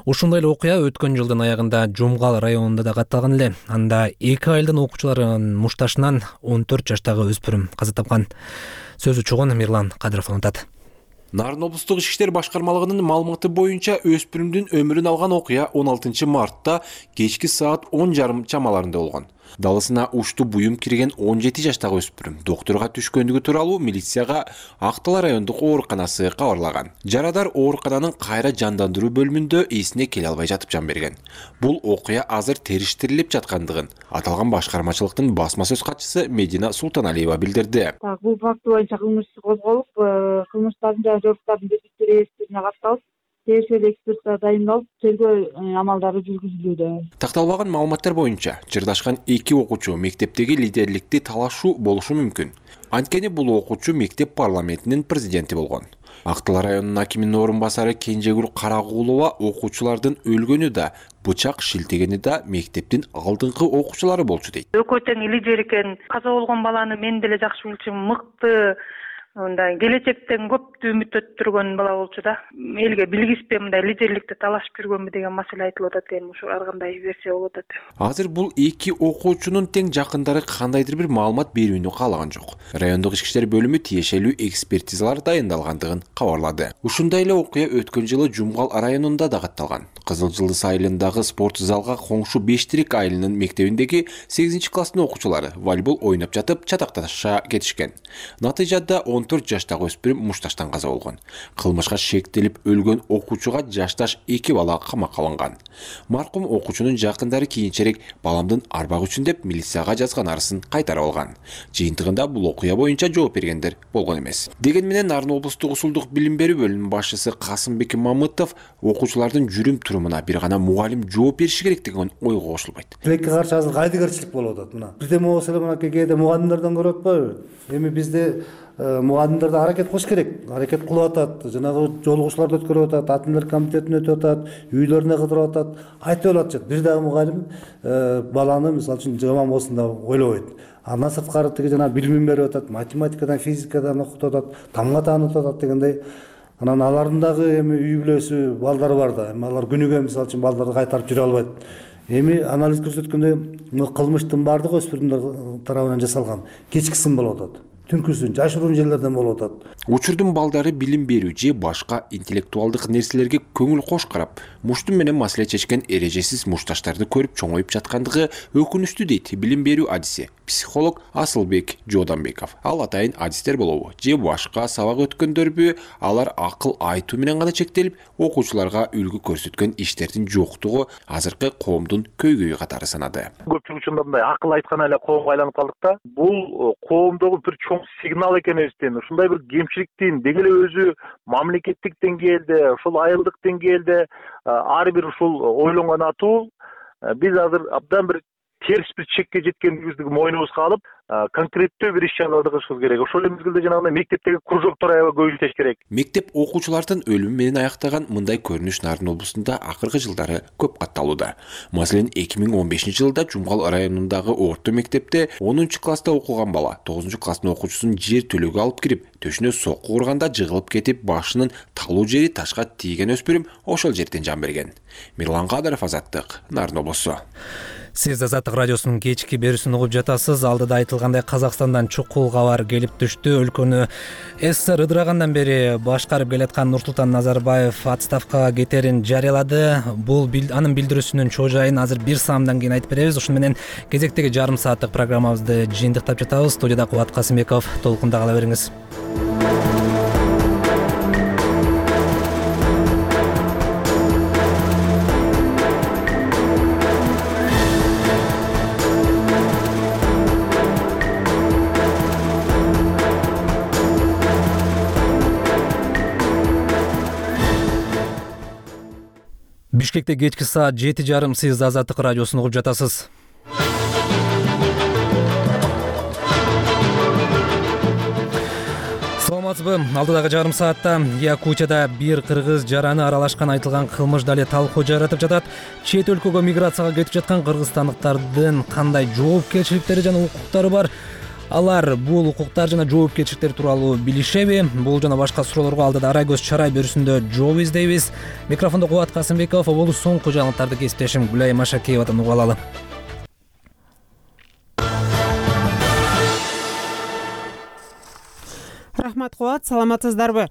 Ушундай эле окуя өткөн жылдын аягында Жумгал районунда да катталган эле. Анда 2 айылдын окуучуларынын мушташынан 14 жаштагы өспүрүм каза тапкан. Сөзү чогон Мирлан Кадыров анытат. Нарын облустук ички иштер башкармалыгынын маалыматы боюнча өспүрүмдүн өмүрүн алган окуя 16 мартта кечки саат 10:30 чамаларында болгон. Далысына ушту буюм кирген 17 жаштагы өспүрүм доктурга түшкөндүгү тууралуу милицияга Актала райондук ооруканасы кабарлаган. Жарадар оорукананын кайра жандандыруу бөлүмүндө эсине келе албай жатып жан берген. Бул окуя азыр териштирилип жаткандыгын аталган башкармачылыктын басма сөз катчысы Медина Султаналиева билдирди. Бул факт боюнча кылмыш козголуп, кылмыштардын жана жоруктардын реестрине катталып, териштирүү экспертиза дайындалып, тергөө амалдары жүргүзүлүүдө. Такталбаган маалыматтар боюнча, жырдашкан 2 окуучу мектептеги лидерликти талашуу болушу мүмкүн. Анткени бул окуучу мектеп парламентинин президенти болгон. Актала районунун акиминин орун басары Кенжегүл Карагуулова окуучулардын өлгөнү да, бычак шилтегени да мектептин алдыңкы окуучулары болчу дейт. Экөө тең лидер экен. Каза болгон баланы мен деле жакшы билчүмүн, мыкты, мындай келечектен көптү үмүттөттүргөн бала болчу да. Элге билгиспей мындай лидерликти талашып жүргөнбү деген маселе айтылып атат, эми ушу ар кандай версия болуп атат. Азыр бул 2 окуучунун тең жакындары кандайдыр бир маалымат берүүнү каалаган жок. Райондук ички иштер бөлүмү тиешелүү экспертизалар дайындалгандыгын кабарлады. Ушундай эле окуя өткөн жылы Жумгал районунда да катталган. Кызыл Жылдыз айылындагы спорт залга коңшу Бештирик айылынын мектебиндеги 8-класстын окуучулары волейбол ойноп жатып чатакташа кетишкен. Натыйжада 14 жаштагы өспүрүм мушташтан каза болгон. Кылмышка шектелип өлгөн окуучуга жашташ 2 бала камакка алынган. Маркум окуучунун жакындары кийинчерээк баламдын арбак үчүн деп милицияга жазган арызын кайтарып алган. Жыйынтыгында бул окуя боюнча жооп бергендер болгон эмес. Деген менен Нарын облустук усулдук билим берүү бөлүмүнүн башчысы Касымбек Мамытов окуучулардын жүрүм-турумуна бир гана мугалим жооп бериши керек деген ойго кошулбайт. Тилекке каршы азыр кайдыгерчилик болуп атат мына. Бирдеме болсо эле мына кээде мугалимдерден көрүп атпайбы? Эми бизде мугалимдер да аракет кылыш керек. Аракет кылып атат. Жанагы жолугушууларды өткөрүп атат, атымдар комитетин өтүп атат, үйлөрүнө кыдырып атат. Айтып атат. Бир дагы мугалим баланы мисалы үчүн жаман болсун деп ойлобойт. Андан сырткары тиги жана билимин берип атат, математикадан, физикадан окутуп атат, тамга таанытып атат дегендей. Анан алардын дагы эми үй бүлөсү, балдары бар да. Эми алар күнүгө мисалы үчүн балдарды кайтарып жүрө албайт. Эми анализ көрсөткөндөй кылмыштын баардыгы өспүрүмдөр тарабынан жасалган. Кечкисин болуп атат. Түнкүсүн жашыруун жерлерден болуп атат. Учурдун балдары билим берүү же башка интеллектуалдык нерселерге көңүл кош карап, муштум менен маселе чечкен эрежесиз мушташтарды көрүп чоңоюп жаткандыгы өкүнүчтүү дейт билим берүү адиси психолог Асылбек Жооданбеков. Ал атайын адистер болобу же башка сабак өткөндөрбү, алар акыл айтуу менен гана чектелип, окуучуларга үлгү көрсөткөн иштердин жоктугу азыркы коомдун көйгөйү катары санады. Көпчүлүк учурда мындай акыл айткан эле коомго айланып калдык да. Бул коомдогу бир чоң сигнал экенибизден, ушундай бир кемчиликтин деги эле өзү мамлекеттик деңгээлде, ушул айылдык деңгээлде ар бир ушул ойлонгон атуу биз азыр абдан бир терс бир чекке жеткендигибизди мойнубузга алып, конкреттүү бир иш-чараларды кылышыбыз керек. Ошол эле мезгилде жанагындай мектептеги кружоктор аябай көп иштеш керек. Мектеп окуучулардын өлүмү менен аяктаган мындай көрүнүш Нарын облусунда акыркы жылдары көп катталууда. Маселен, 2015-жылда Жумгал районундагы орто мектепте 10-класста окуган бала 9-класстын окуучусун жер төлөгө алып кирип, төшүнө сокку урганда жыгылып кетип, башынын талуу жери ташка тийген өспүрүм ошол жерден жан берген. Мирлан Кадыров, Азаттык, Нарын облусу. Сиз Азаттык радиосунун кечки берүүсүн угуп жатасыз. Алдыда айтылгандай Казакстандан чукул кабар келип түштү. Өлкөнү СССР ыдырагандан бери башкарып келаткан Нурсултан Назарбаев отставкага кетерин жарыялады. Бул анын билдирүүсүнүн чоо жайын азыр бир саамдан кийин айтып беребиз. Ошону менен кезектеги жарым сааттык программабызды жыйынтыктап жатабыз. Студияда Кубат Касымбеков, толкунда кала бериңиз. Бишкекте кечки саат 7:30 сиз Азаттык радиосун угуп жатасыз. Саламатсызбы? Алдыдагы жарым саатта Якутияда бир кыргыз жараны аралашкан айтылган кылмыш дале талкуу жаратып жатат. Чет өлкөгө миграцияга кетип жаткан кыргызстандыктардын кандай жоопкерчиликтери жана укуктары бар? Алар бул укуктар жана жоопкерчиликтер тууралуу билишеби? Бул жана башка суроолорго алдыда Ара көз чарай берүүсүндө жооп издейбиз. Микрофондо Кубат Касымбеков, болуу соңку жаңылыктарды кесиптешим Гүлай Машакеевадан угуп алалы. Рахмат Кубат, саламатсыздарбы?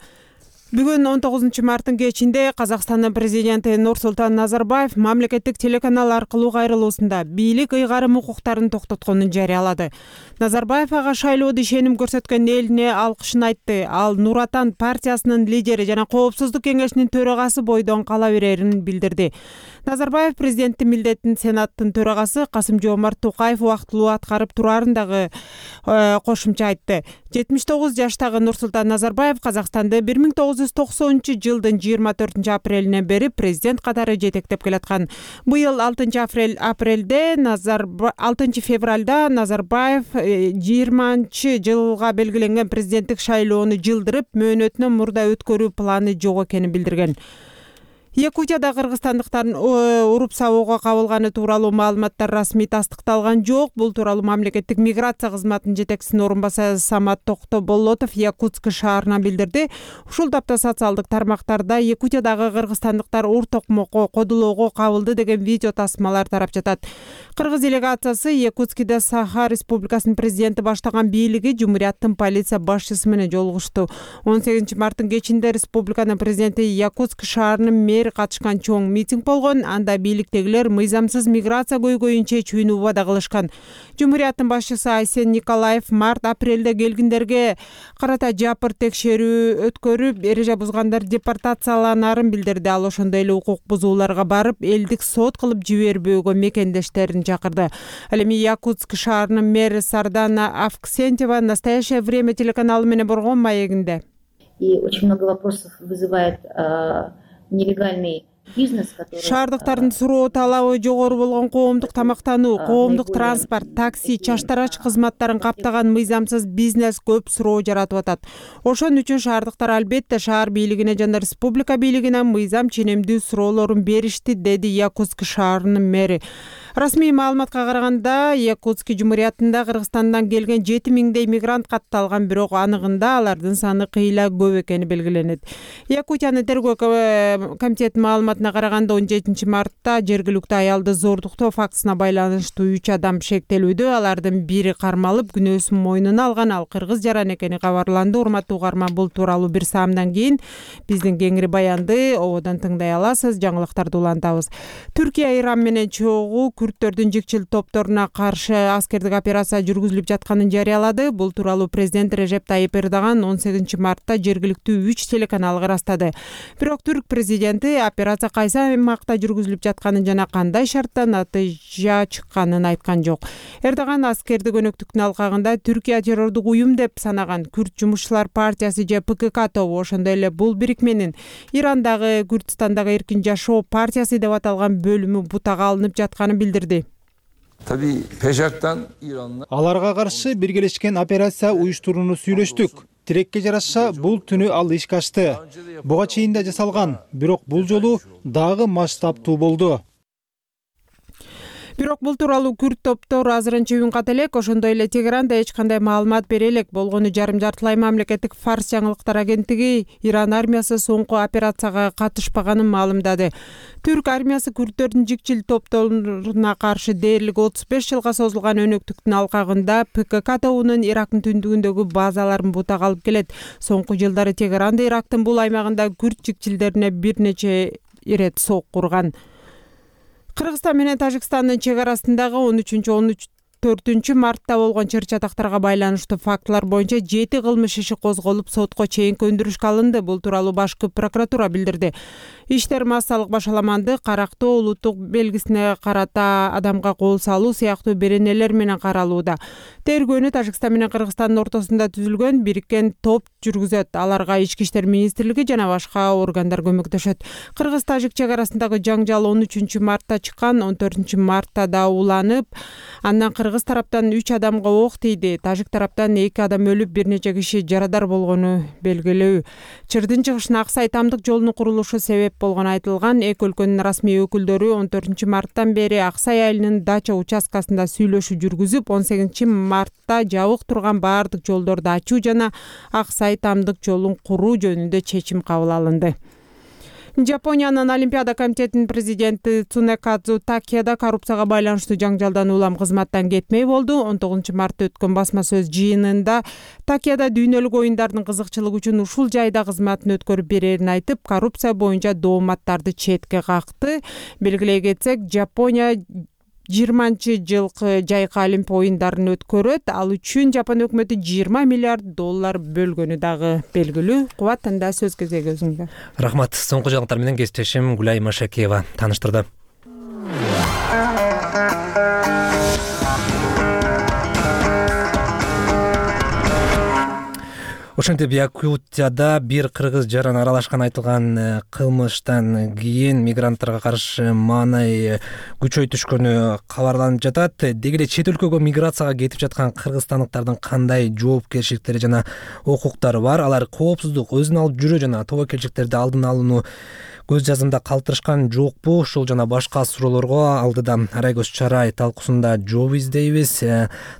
Бүгүн 19 марттын кечинде Казакстандын президенти Нурсултан Назарбаев мамлекеттик телеканал аркылуу кайрылуусунда бийлик ыйгарым укуктарын токтотконун жарыялады. Назарбаев ага шайлоодо ишеним көрсөткөн элине алкышын айтты. Ал Нур Отан партиясынын лидери жана Коопсуздук кеңешинин төрагасы бойдон кала берерин билдирди. Назарбаев президенттин милдетин Сенаттын төрагасы Касым-Жомарт Токаев убактылуу аткарып турарын дагы кошумча айтты. 79 жаштагы Нурсултан Назарбаев Казакстанды 1990-жылдын 24 апрелинен бери президент катары жетектеп келаткан. Быйыл 6 февралда Назарбаев 20-жылга белгиленген президенттик шайлоону жылдырып, мөөнөтүнөн мурда өткөрүү планы жок экенин билдирген. Якутияда кыргызстандыктардын уруп сабоого кабылганы тууралуу маалыматтар расмий тастыкталган жок. Бул тууралуу мамлекеттик миграция кызматынын жетекчисинин орун басары Самат Токтоболотов Якутск шаарына билдирди. Ушул тапта социалдык тармактарда Якутиядагы кыргызстандыктар ур токмокко кодулоого кабылды деген видео тасмалар тарап жатат. Кыргыз делегациясы Якутскиде Саха Республикасынын президенти баштаган бийлиги Жумурияттын полиция башчысы менен жолугушту. 18 марттын кечинде республиканын президенти Якутск шаарынын катышкан чоң митинг болгон. Анда бийликтегилер мыйзамсыз миграция көйгөйүн чечүүнү убада кылышкан. Жумурияттын башчысы Айсен Николаев март-апрелде келгиндерге карата жапыр текшерүү өткөрүп, эреже бузгандар депортацияланарын билдирди. Ал ошондой эле укук бузууларга барып, элдик сот кылып жибербөөгө мекендештерин чакырды. Ал эми Якутск шаарынын мэри Сардана Авксентьева «Настоящее время» телеканалы менен болгон маегинде. И очень много вопросов вызывает нелегальный бизнес, который... Шаардыктардын суроо талабы жогору болгон коомдук тамактануу, коомдук транспорт, такси, чаштарач кызматтарын каптаган мыйзамсыз бизнес көп суроо жаратып атат. Ошон үчүн шаардыктар албетте шаар бийлигине жана республика бийлигине мыйзам ченемдүү суроолорун беришти, деди Якутск шаарынын мэри. Расмий маалыматка караганда, Якутск Жумуриятында Кыргызстандан келген 7000дей мигрант катталган, бирок аныгында алардын саны кыйла көп экени белгиленет. Якутиянын тергөө комитетинин маалыматына караганда 17 мартта жергиликтүү аялды зордуктоо фактысына байланыштуу 3 адам шектелүүдө. Алардын бири кармалып, күнөөсүн мойнуна алган. Ал кыргыз жаран экени кабарланды. Урматтуу угарман, бул тууралуу бир саамдан кийин биздин кеңири баянды ободон тыңдай аласыз. Жаңылыктарды улантабыз. Түркия Иран менен чогуу күрттөрдүн жикчил топторуна каршы аскердик операция жүргүзүлүп жатканын жарыялады. Бул тууралуу президент Режеп Тайип Эрдоган 18 мартта жергиликтүү 3 телеканалга ырастады. Бирок түрк президенти операция кайсы аймакта жүргүзүлүп жатканын жана кандай шартта натыйжа чыкканын айткан жок. Эрдоган аскердик өнөктүктүн алкагында Түркия террордук уюм деп санаган Күрт жумушчулар партиясы же ПКК тобу, ошондой эле бул бирикменин Ирандагы Күрдистандагы эркин жашоо партиясы деп аталган бөлүмү бутага алынып жатканын билдирди. Аларга каршы биргелешкен операция уюштурууну сүйлөштүк. Тилекке жараша бул түнү ал ишке ашты. Буга чейин да жасалган, бирок бул жолу дагы масштабтуу болду. Бирок бул тууралуу күрд топтор азырынча үн ката элек. Ошондой эле Тегеран да эч кандай маалымат бере элек. Болгону жарым-жартылай мамлекеттик Фарс жаңылыктар агенттиги Иран армиясы соңку операцияга катышпаганын маалымдады. Түрк армиясы күрдтөрдүн жикчил топторуна каршы дээрлик 35 жылга созулган өнөктүктүн алкагында ПКК тобунун Ирактын түндүгүндөгү базаларын бутак алып келет. Соңку жылдары Тегеран да Ирактын бул аймагында күрд жикчилдерине бир нече ирет соккурган. Кыргызстан менен Тажикстандын чек арасындагы 13-14 мартта болгон чыр-чатактарга байланыштуу фактылар боюнча 7 кылмыш иши козголуп, сотко чейинки өндүрүшкө алынды. Бул тууралуу башкы прокуратура билдирди. Иштер массалык башаламанды, карактоо, улуттук белгисине карата адамга кол салуу сыяктуу беренелер менен каралууда. Тергөөнү Тажикстан менен Кыргызстандын ортосунда түзүлгөн бириккен топ жүргүзөт. Аларга Ички иштер министрлиги жана башка органдар көмөктөшөт. Кыргыз-тажик чек арасындагы жаңжал 13 мартта чыккан, 14 мартта да уланып, андан кыргыз тараптан 3 адамга ок тийди. Тажик тараптан 2 адам өлүп, бир нече киши жарадар болгону белгилүү. Чырдын чыгышына Аксай Тамдык жолунун курулушу себеп болгону айтылган. Эки өлкөнүн расмий өкүлдөрү 14 марттан бери Аксай айылынын дача участкасында сүйлөшүү жүргүзүп, 18 мартта жабык турган баардык жолдорду ачуу жана Аксай Тамдык жолун куруу жөнүндө чечим кабыл алынды. Жапониянын Олимпиада комитетинин президенти Цунекадзу Такеда коррупцияга байланыштуу жаңжалдан улам кызматтан кетмей болду. 19 мартта өткөн басма сөз жыйынында Такеда дүйнөлүк оюндардын кызыкчылыгы үчүн ушул жайда кызматын өткөрүп берерин айтып, коррупция боюнча дооматтарды четке какты. Белгилей кетсек, Жапония 20-жылкы жайкы Олимп оюндарын өткөрөт. Ал үчүн Жапон өкмөтү $20 миллиард бөлгөнү дагы белгилүү. Кубат, анда сөз кезеги өзүңдө. Рахмат. Соңку жаңылыктар менен кесиптешим Гүлай Машакиева тааныштырды. Ошентип Якутияда бир кыргыз жаран аралашкан айтылган кылмыштан кийин мигранттарга каршы маанай күчөйтүшкөнү кабарланып жатат. Деги эле чет өлкөгө миграцияга кетип жаткан кыргызстандыктардын кандай жоопкерчиликтери жана укуктары бар? Алар коопсуздук, өзүн алып жүрүү жана тобокелчиликтерди алдын алууну көз жазымда калтырышкан жокпу? Ушул жана башка суроолорго алдыда Арайгөз Чарай талкуусунда жооп издейбиз.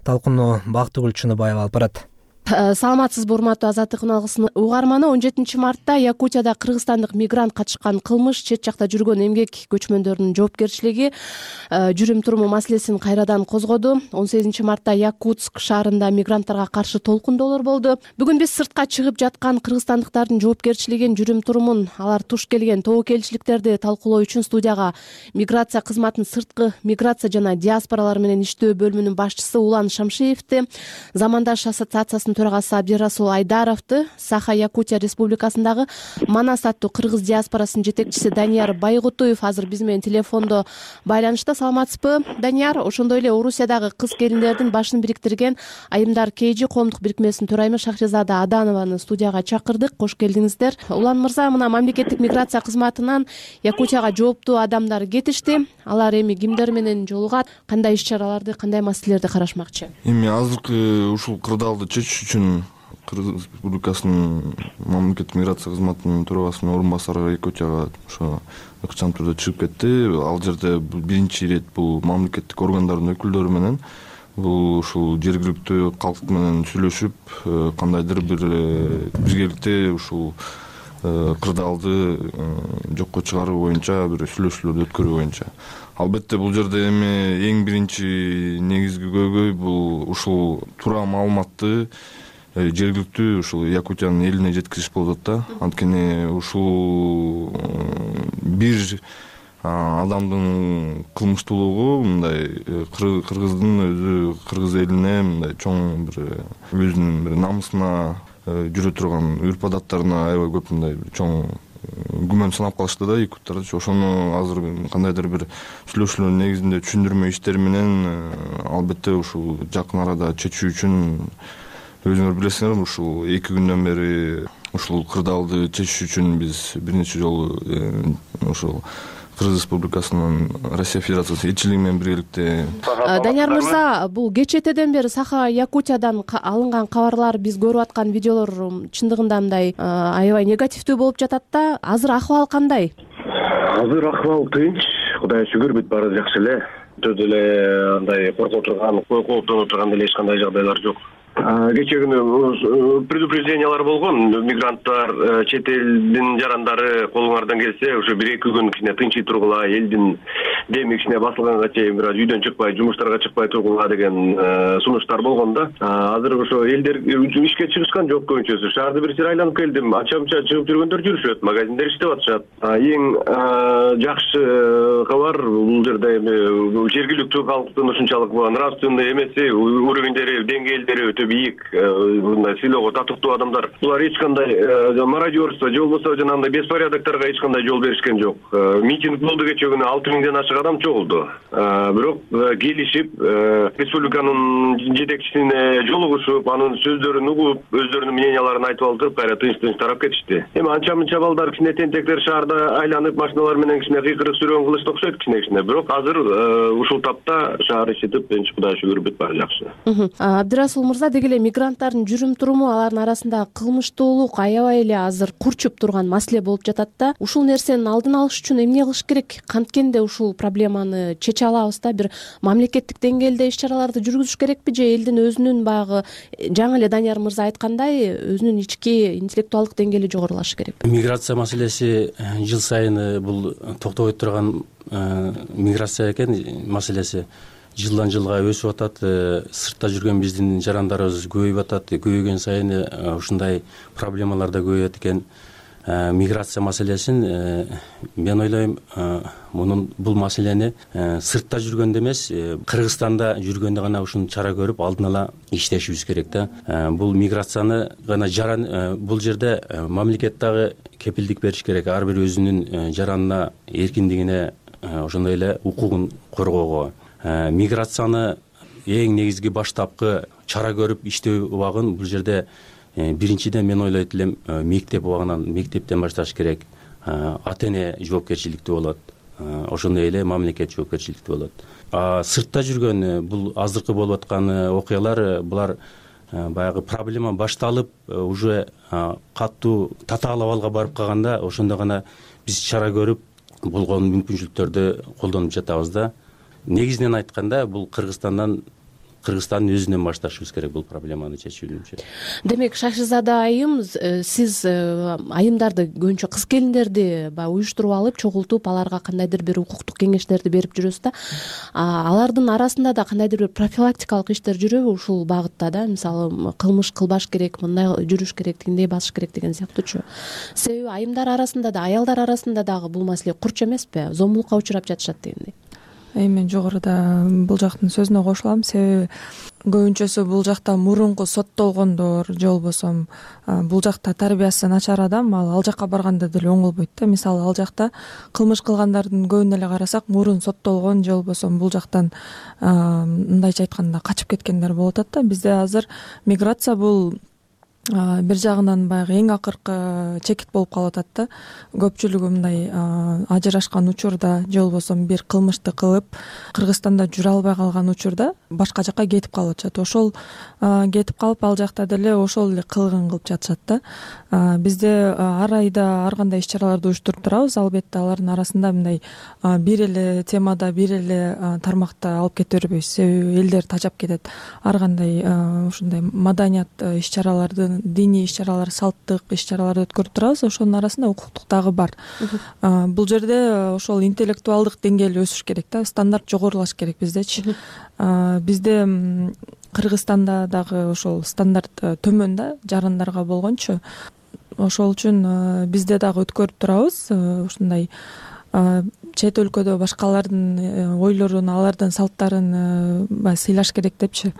Талкууну Бактыгүл Чыныбаева алып барат. Саламатсызбы, урматтуу Азаттык каналынын угарманы. 17 мартта Якутияда кыргызстандык мигрант катышкан кылмыш, чет жакта жүргөн эмгек көчмөндөрүнүн жоопкерчилиги, жүрүм туруму маселесин кайрадан козгоду. 18 мартта Якутск шаарында мигранттарга каршы толкундоолор болду. Бүгүн биз сыртка чыгып жаткан кыргызстандыктардын жоопкерчилигин, жүрүм турумун, алар туш келген тобокелчиликтерди талкуулоо үчүн студияга миграция кызматынын сырткы миграция жана диаспоралар менен иштөө бөлүмүнүн башчысы Улан Шамшиевди, Замандаш ассоциациясынын төрагасы Абдирасул Айдаровду, Саха Якутия Республикасындагы Манас аттуу кыргыз диаспорасынын жетекчиси Данияр Байгутуев азыр биз менен телефондо байланышта. Саламатсызбы, Данияр? Ошондой эле Орусиядагы кыз келиндердин башын бириктирген Айымдар КЖ коомдук бирикмесинин төрайымы Шахризада Аданованы студияга чакырдык. Кош келдиңиздер. Улан мырза, мына мамлекеттик миграция кызматынан Якутияга жооптуу адамдар кетишти. Алар эми кимдер менен жолугат, кандай иш-чараларды, кандай маселелерди карашмакчы? Эми азыркы ушул кырдаалды чечиш үчүн Кыргыз Республикасынын мамлекеттик миграция кызматынын төрагасынын орун басары Якутияга ошо ыкчам түрдө чыгып кетти. Ал жерде биринчи ирет бул мамлекеттик органдардын өкүлдөрү менен ушул жергиликтүү калк менен сүйлөшүп, кандайдыр бир биргеликте ушул кырдаалды жокко чыгаруу боюнча бир сүйлөшүүлөрдү өткөрүү боюнча. Албетте бул жерде эми эң биринчи негизги көйгөй бул ушул туура маалыматты жергиликтүү ушул Якутиянын элине жеткизиш болуп атат да. Анткени ушул бир адамдын кылмыштуулугу мындай кыргыздын өзү кыргыз элине мындай чоң бир өзүнүн бир намысына жүрө турган үрп адаттарына аябай көп мындай чоң күмөн санап калышты да якуттар. Ошону азыр кандайдыр бир сүйлөшүүлөр негизинде түшүндүрмө иштери менен албетте ушул жакын арада чечүү үчүн өзүңөр билесиңер, ушул 2 күндөн бери ушул кырдаалды чечиш үчүн биз бир нече жолу ушул Кыргыз Республикасынын Россия Федерациясы элчилиги менен биргеликте. Данияр мырза, бул кечетеден бери Саха Якутиядан алынган кабарлар, биз көрүп аткан видеолор чындыгында мындай аябай негативдүү болуп жатат да. Азыр акыбал кандай? Азыр акыбал тынч, Кудайга шүгүр бүт баары жакшы эле. Өтө деле андай кооптонуп турган деле эч кандай жагдайлар жок. Кечээ күнү предупреждениялар болгон. Мигранттар, чет элдин жарандары колуңардан келсе, ошо 1-2 күн кичине тынчый тургула, элдин деми кичине басылганга чейин бир аз үйдөн чыкпай, жумуштарга чыкпай тургула деген сунуштар болгон да. Азыр ошо элдер ишке чыгышкан жок көбүнчөсү. Шаарды бир сыйра айланып келдим. Ача-муча чыгып жүргөндөр жүрүшөт, магазиндер иштеп атышат. Эң жакшы кабар бул жерде жергиликтүү калктын ушунчалык нравственный эмеси, уровеньдери, деңгээлдери өтө бийик. Мындай сыйлоого татыктуу адамдар. Булар эч кандай мародерство же болбосо жанагындай беспорядокторго эч кандай жол беришкен жок. Митинг болду кечээ күнү 6000ден ашык адам чогулду. Бирок келишип, республиканын жетекчисине жолугушуп, анын сөздөрүн угуп, өздөрүнүн мненияларын айтып алып, кайра тынч тарап кетишти. Эми анча-мынча балдар кичине тентектер шаарда айланып, машиналар менен кичине кыйкырык сүрөң кылышты окшойт кичине. Бирок азыр ушул тапта шаар ичитип, энчи Кудайга шүгүр бүт баары жакшы. Абдырасул мырза, деги эле мигранттардын жүрүм туруму, алардын арасында кылмыштуулук аябай эле азыр курчуп турган маселе болуп жатат да. Ушул нерсенин алдын алыш үчүн эмне кылыш керек? Канткенде ушул проблеманы чече алабыз да? Бир мамлекеттик деңгээлде иш-чараларды жүргүзүш керекпи же элдин өзүнүн баягы жаңы эле Данияр мырза айткандай өзүнүн ички интеллектуалдык деңгээли жогорулашы керек? Миграция маселеси жыл сайын бул токтобой турган миграция экен маселеси. Жылдан жылга өсүп атат. Сыртта жүргөн биздин жарандарыбыз көбөйүп атат. Көбөйгөн сайын ушундай проблемалар да көбөйөт экен. Миграция маселесин мен ойлойм, бул маселени сыртта жүргөндө эмес, Кыргызстанда жүргөндө гана ушуну чара көрүп, алдын ала иштешибиз керек да. Бул миграцияны гана бул жерде мамлекет дагы кепилдик бериш керек. Ар бир өзүнүн жаранына, эркиндигине, ошондой эле укугун коргоого. Миграцияны эң негизги баштапкы чара көрүп иштөө убагын бул жерде биринчиден мен ойлойт элем мектептен башташ керек. Ата-эне жоопкерчиликтүү болот. Ошондой эле мамлекет жоопкерчиликтүү болот. Сыртта жүргөн бул азыркы болуп аткан окуялар, булар баягы проблема башталып, уже катуу татаал абалга барып калганда, ошондо гана биз чара көрүп, болгон мүмкүнчүлүктөрдү колдонуп жатабыз да. Негизинен айтканда, бул Кыргызстандын өзүнөн башташыбыз керек бул проблеманы чечүүнүчө. Демек, Шашизада айым, сиз айымдарды, көбүнчө кыз келиндерди уюштуруп алып, чогултуп, аларга кандайдыр бир укуктук кеңештерди берип жүрөсүз да. Алардын арасында да кандайдыр бир профилактикалык иштер жүрөбү ушул багытта да? Мисалы, кылмыш кылбаш керек, мындай жүрүш керек, тигиндей басыш керек деген сыяктуучу. Себеби айымдар арасында да, аялдар арасында дагы бул маселе курч эмеспи? Зомбулукка учурап жатышат дегендей. Мен жогоруда бул жактын сөзүнө кошулам. Себеби көбүнчөсү бул жакта мурунку соттолгондор же болбосо бул жакта тарбиясы начар адам ал жакка барганда деле оңолбойт да. Мисалы, ал жакта кылмыш кылгандардын көбүн эле карасак, мурун соттолгон же болбосо бул жактан мындайча айтканда качып кеткендер болуп атат да. Бизде азыр миграция бул бир жагынан баягы эң акыркы чекит болуп калып атат да. Көпчүлүгү мындай ажырашкан учурда же болбосо бир кылмышты кылып Кыргызстанда жүрө албай калган учурда башка жакка кетип калып атышат. Ошол кетип калып, ал жакта деле ошол эле кылыгын кылып жатышат да. Бизде ар айда ар кандай иш-чараларды уюштуруп турабыз. Албетте алардын арасында мындай бир эле темада, бир эле тармакта алып кете бербейбиз. Себеби элдер тажап кетет. Ар кандай ушундай маданият иш-чараларды, диний иш-чаралар, салттык иш-чараларды өткөрүп турабыз. Ошонун арасында укуктук дагы бар. Бул жерде ошол интеллектуалдык деңгээли өсүш керек да, стандарт жогорулаш керек биздечи. Бизде Кыргызстанда дагы ошол стандарт төмөн да, жарандарга болгончу. Ошол үчүн бизде дагы өткөрүп турабыз. Ушундай чет өлкөдө башкалардын ойлорун, алардын салттарын сыйлаш керек депчи.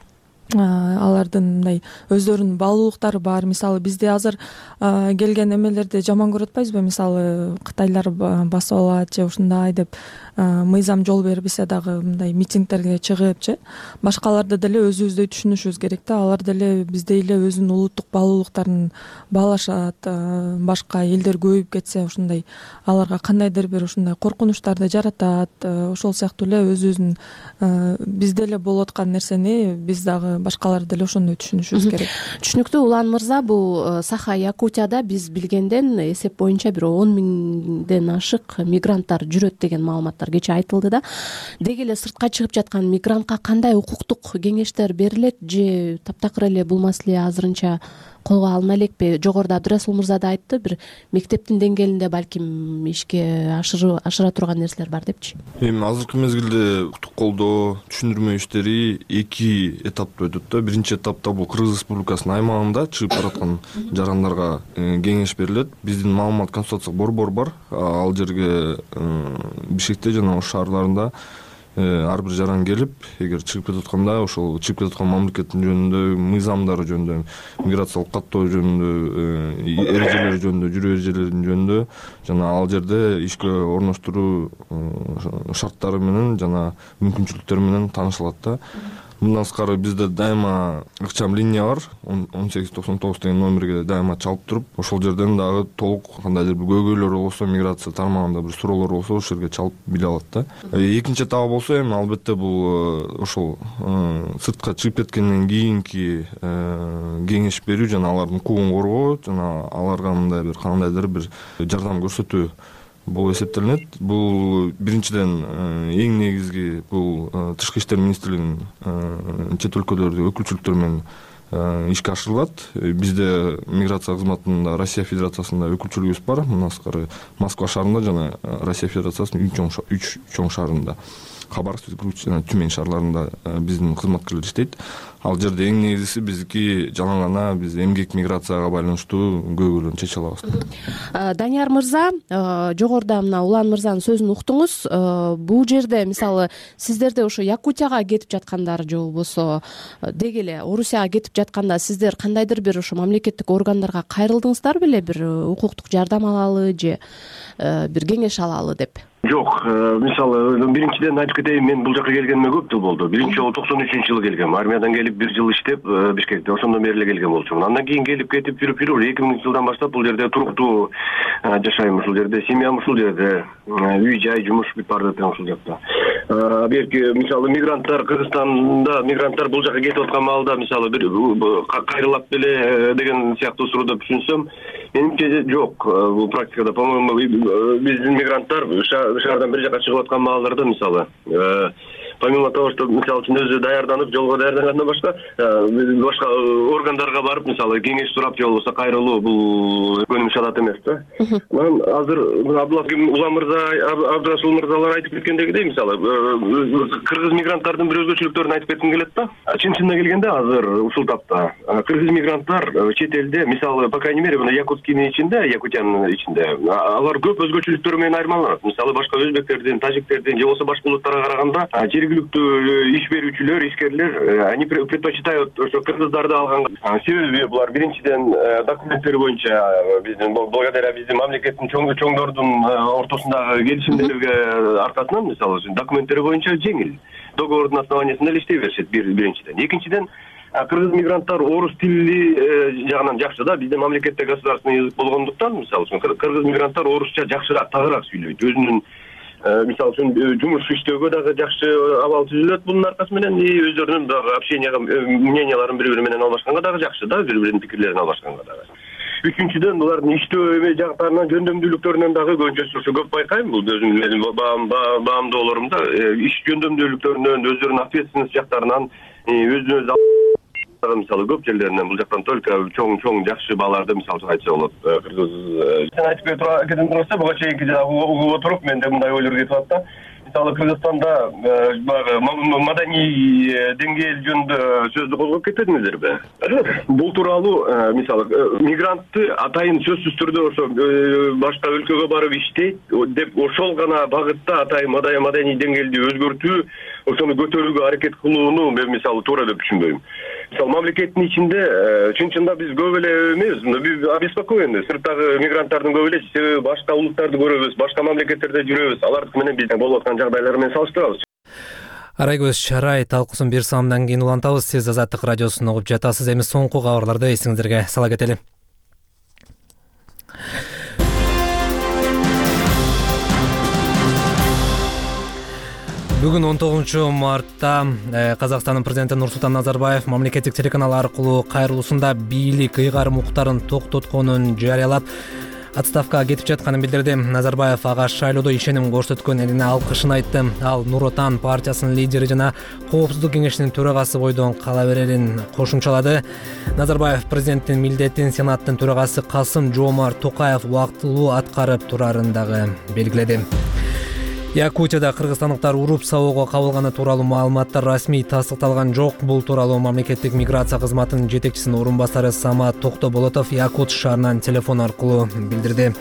Алардын мындай өздөрүнүн баалуулуктары бар. Мисалы, бизде азыр келген эмелерди жаман көрүп атпайбызбы? Мисалы, кытайлар басып алат же ушундай деп мыйзам жол бербесе дагы мындай митингдерге чыгыпчы. Башкаларды деле өзүбүздөй түшүнүшүбүз керек да. Алар деле биздей эле өзүнүн улуттук баалуулуктарын баалашат. Башка элдер көбөйүп кетсе, ушундай аларга кандайдыр бир ушундай коркунучтарды жаратат. Ошол сыяктуу эле өзүбүздүн бизде эле болуп аткан нерсени биз дагы башкалар деле ошондой түшүнүшүбүз керек. Түшүнүктүү. Улан мырза, бул Саха Якутияда биз билгенден эсеп боюнча бир 10 миңден ашык мигранттар жүрөт деген маалыматтар кечээ айтылды да. Деги эле сыртка чыгып жаткан мигрантка кандай укуктук кеңештер берилет же таптакыр эле бул маселе азырынча колго алына элекпи? Жогоруда Абдырасул мырза да айтты, бир мектептин деңгээлинде балким ишке ашыра турган нерселер бар депчи. Эми азыркы мезгилде укуктук колдоо, түшүндүрмө иштери 2 этапта өтөт да. Биринчи этапта бул Кыргыз Республикасынын аймагында чыгып бараткан жарандарга кеңеш берилет. Биздин маалымат консультациялык борбор бар. Ал жерге Бишкекте жана ош шаарларында ар бир жаран келип, эгер чыгып кетип атканда, ошол чыгып кетип аткан мамлекеттин жөнүндө, мыйзамдары жөнүндө, миграциялык каттоо жөнүндө, эрежелери жөнүндө, жүрүү эрежелеринин жөнүндө жана ал жерде ишке орноштуруу шарттары менен жана мүмкүнчүлүктөрү менен таанышылат да. Мындан сырткары бизде дайыма ыкчам линия бар, 1899 деген номерге дайыма чалып туруп, ошол жерден дагы толук кандайдыр бир көйгөйлөр болсо, миграция тармагында бир суроолор болсо, ошол жерге чалып биле алат да. Экинчи этабы болсо, эми албетте бул ошол сыртка чыгып кеткенден кийинки кеңеш берүү жана алардын укугун коргоо жана аларга мындай бир кандайдыр бир жардам көрсөтүү болуп эсептелинет. Бул биринчиден эң негизги бул Тышкы иштер министрлигинин чет өлкөлөрдө өкүлчүлүктөр менен ишке ашырылат. Бизде миграция кызматында Россия Федерациясында өкүлчүлүгүбүз бар. Мындан сырткары Москва шаарында жана Россия Федерациясынын 3 чоң шаарында, Хабаровск жана Тюмень шаарларында биздин кызматкерлер иштейт. Ал жерде эң негизгиси биздики жана гана биз эмгек миграцияга байланыштуу көйгөйлөрдү чече алабыз. Данияр мырза, жогоруда мына Улан мырзанын сөзүн уктуңуз. Бул жерде мисалы сиздерде ошо Якутияга кетип жаткандар же болбосо деги эле Орусияга кетип жатканда сиздер кандайдыр бир ошо мамлекеттик органдарга кайрылдыңыздар беле, бир укуктук жардам алалы же бир кеңеш алалы деп? Жок, мисалы биринчиден айтып кетейин, мен бул жака келгениме көп жыл болду. Биринчи жолу 93-жылы келгем. Армиядан келип 1 жыл иштеп Бишкекте, ошондон бери эле келген болчумун. Андан кийин келип кетип жүрүп 2000-жылдан баштап бул жерде туруктуу жашайм, ушул жерде семьям ушул жерде, үй-жай, жумуш бүт бар экен ушул жакта. Берки мисалы мигранттар Кыргызстанда мигранттар бул жака кетип аткан маалда мисалы бир кайрылат беле деген сыяктуу сурооду түшүнсөм, менимче жок. Бул практикада, по-моему, биздин мигранттар шаардан бир жака чыгып аткан маалдарда мисалы помимо того, что мисалы үчүн өзү даярданып, жолго даярдангандан башка органдарга барып, мисалы кеңеш сурап же болбосо кайрылуу бул көнүмүш адат эмес да. Мен азыр Улан мырза, Абдырасул мырзалар айтып кеткендегидей, мисалы кыргыз мигранттардын бир өзгөчөлүктөрүн айтып кетким келет да. Чын-чынына келгенде азыр ушул тапта кыргыз мигранттар чет элде, мисалы по крайней мере мына Якутскийдин ичинде, Якутиянын ичинде алар көп өзгөчөлүктөр менен айырмаланат. Мисалы башка өзбектердин, тажиктердин же болбосо башка улуттарга караганда жергиликтүү иш берүүчүлөр, ишкерлер они предпочитают ошо кыргыздарды алганга. Себеби булар биринчиден документтери боюнча биздин благодаря биздин мамлекеттин чоңдордун ортосундагы келишимдерге аркасынан мисалы документтери боюнча жеңил. Договордун основаниясында эле иштей беришет биринчиден. Экинчиден кыргыз мигранттар орус тили жагынан жакшы да, биздин мамлекетте государственный язык болгондуктан мисалы кыргыз мигранттар орусча жакшыраак, тагыраак сүйлөйт. Өзүнүн мисалы үчүн жумуш иштөөгө дагы жакшы абал түзүлөт бунун аркасы менен, өздөрүнүн дагы общенияга мненияларын бири-бири менен алмашканга дагы жакшы да, бири-биринин пикирлерин алмашканга дагы. Үчүнчүдөн булардын иштөө жактарынан, жөндөмдүүлүктөрүнөн дагы көбүнчөсү көп байкайм. Бул өзүмдүн баамдоолорумда иш жөндөмдүүлүктөрүнөн, өздөрүнүн ответственность жактарынан, өзүнүн мисалы көп жерлеринен бул жактан только чоң жакшы бааларды мисалы айтса болот. Кыргыз сен айтып кеткен турса, буга чейинки угуп отуруп менде мындай ойлор кетип атат да. Мисалы Кыргызстанда маданий деңгээл жөнүндө сөздү козгоп кетпедиңиздерби? Бул тууралуу мисалы мигрантты атайын сөзсүз түрдө ошо башка өлкөгө барып иштейт деп ошол гана багытта атайын маданий деңгээлди өзгөртүү, ошону көтөрүүгө аракет кылууну мен мисалы туура деп түшүнбөйм. Мисалы мамлекеттин ичинде чын-чында биз көп эле эмес, биз обеспокоены сырттагы мигранттардын көп эле, себеби башка улуттарды көрөбүз, башка мамлекеттерде жүрөбүз, алардык менен биздин болуп аткан жагдайлар менен салыштырабыз. Арайгөз Шарай талкуусун бир саамдан кийин улантабыз. Сиз Азаттык радиосун угуп жатасыз. Эми соңку кабарларды эсиңиздерге сала кетели. Бүгүн 19 мартта Казакстандын президенти Нурсултан Назарбаев мамлекеттик телеканал аркылуу кайрылуусунда бийлик ыйгарым укуктарын токтотконун жарыялап, отставкага кетип жатканын билдирди. Назарбаев ага шайлоодо ишеним көрсөткөн элине алкышын айтты. Ал Нур Отан партиясынын лидери жана Коопсуздук кеңешинин төрагасы бойдон кала берерин кошумчалады. Назарбаев президенттин милдетин Сенаттын төрагасы Касым-Жомарт Токаев убактылуу аткарып турарын дагы белгиледи. Якутияда кыргызстандыктар уруп сабоого кабылганы тууралуу маалыматтар расмий тастыкталган жок. Бул тууралуу мамлекеттик миграция кызматынын жетекчисинин орун басары Самат Токтоболотов Якут шаарынан телефон аркылуу билдирди.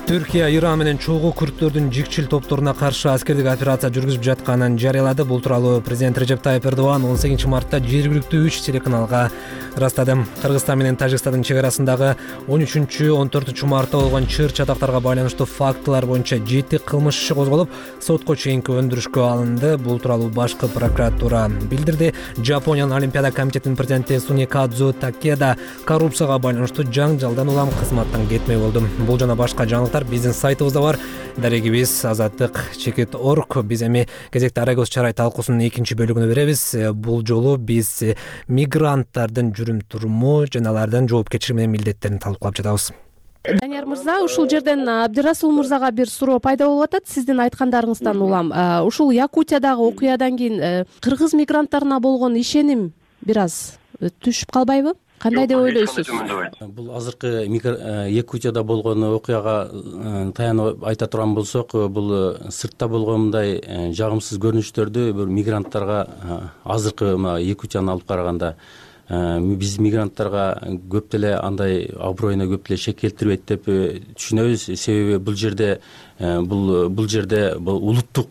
Түркия Иран менен чогуу күрттөрдүн жикчил топторуна каршы аскердик операция жүргүзүп жатканын жарыялады. Бул тууралуу президент Режеп Тайып Эрдоган 18 мартта жергиликтүү 3 телеканалга ырастады. Кыргызстан менен Тажикстандын чек арасындагы 13-14 мартта болгон чыр чатактарга байланыштуу фактылар боюнча 7 кылмыш иши козголуп, сотко чейинки өндүрүшкө алынды. Бул тууралуу башкы прокуратура билдирди. Жапониянын Олимпиада комитетинин президенти Суникадзу Такеда коррупцияга байланыштуу жаңжалдан улам кызматтан кетмей болду. Бул жана башка жаңылыктар биздин сайтыбызда бар. Дарегибиз azattik.org. Биз эми кезекте Арагөз Чарай талкуусунун 2-бөлүгүнө беребиз. Бул жолу биз мигранттардын жүрүм туруму жана алардын жоопкерчилиги менен милдеттерин талкуулап жатабыз. Данияр мырза, ушул жерден Абдирасул мырзага бир суроо пайда болуп атат. Сиздин айткандарыңыздан улам ушул Якутиядагы окуядан кийин кыргыз мигранттарына болгон ишеним бир аз түшүп калбайбы? Кандай деп ойлойсуз? Бул азыркы Якутияда болгон окуяга таянып айта турган болсок, бул сыртта болгон мындай жагымсыз көрүнүштөрдү бир мигранттарга азыркы Якутияны алып караганда биз мигранттарга көп деле андай аброюна көп деле шек келтирбейт деп түшүнөбүз. Себеби бул жерде улуттук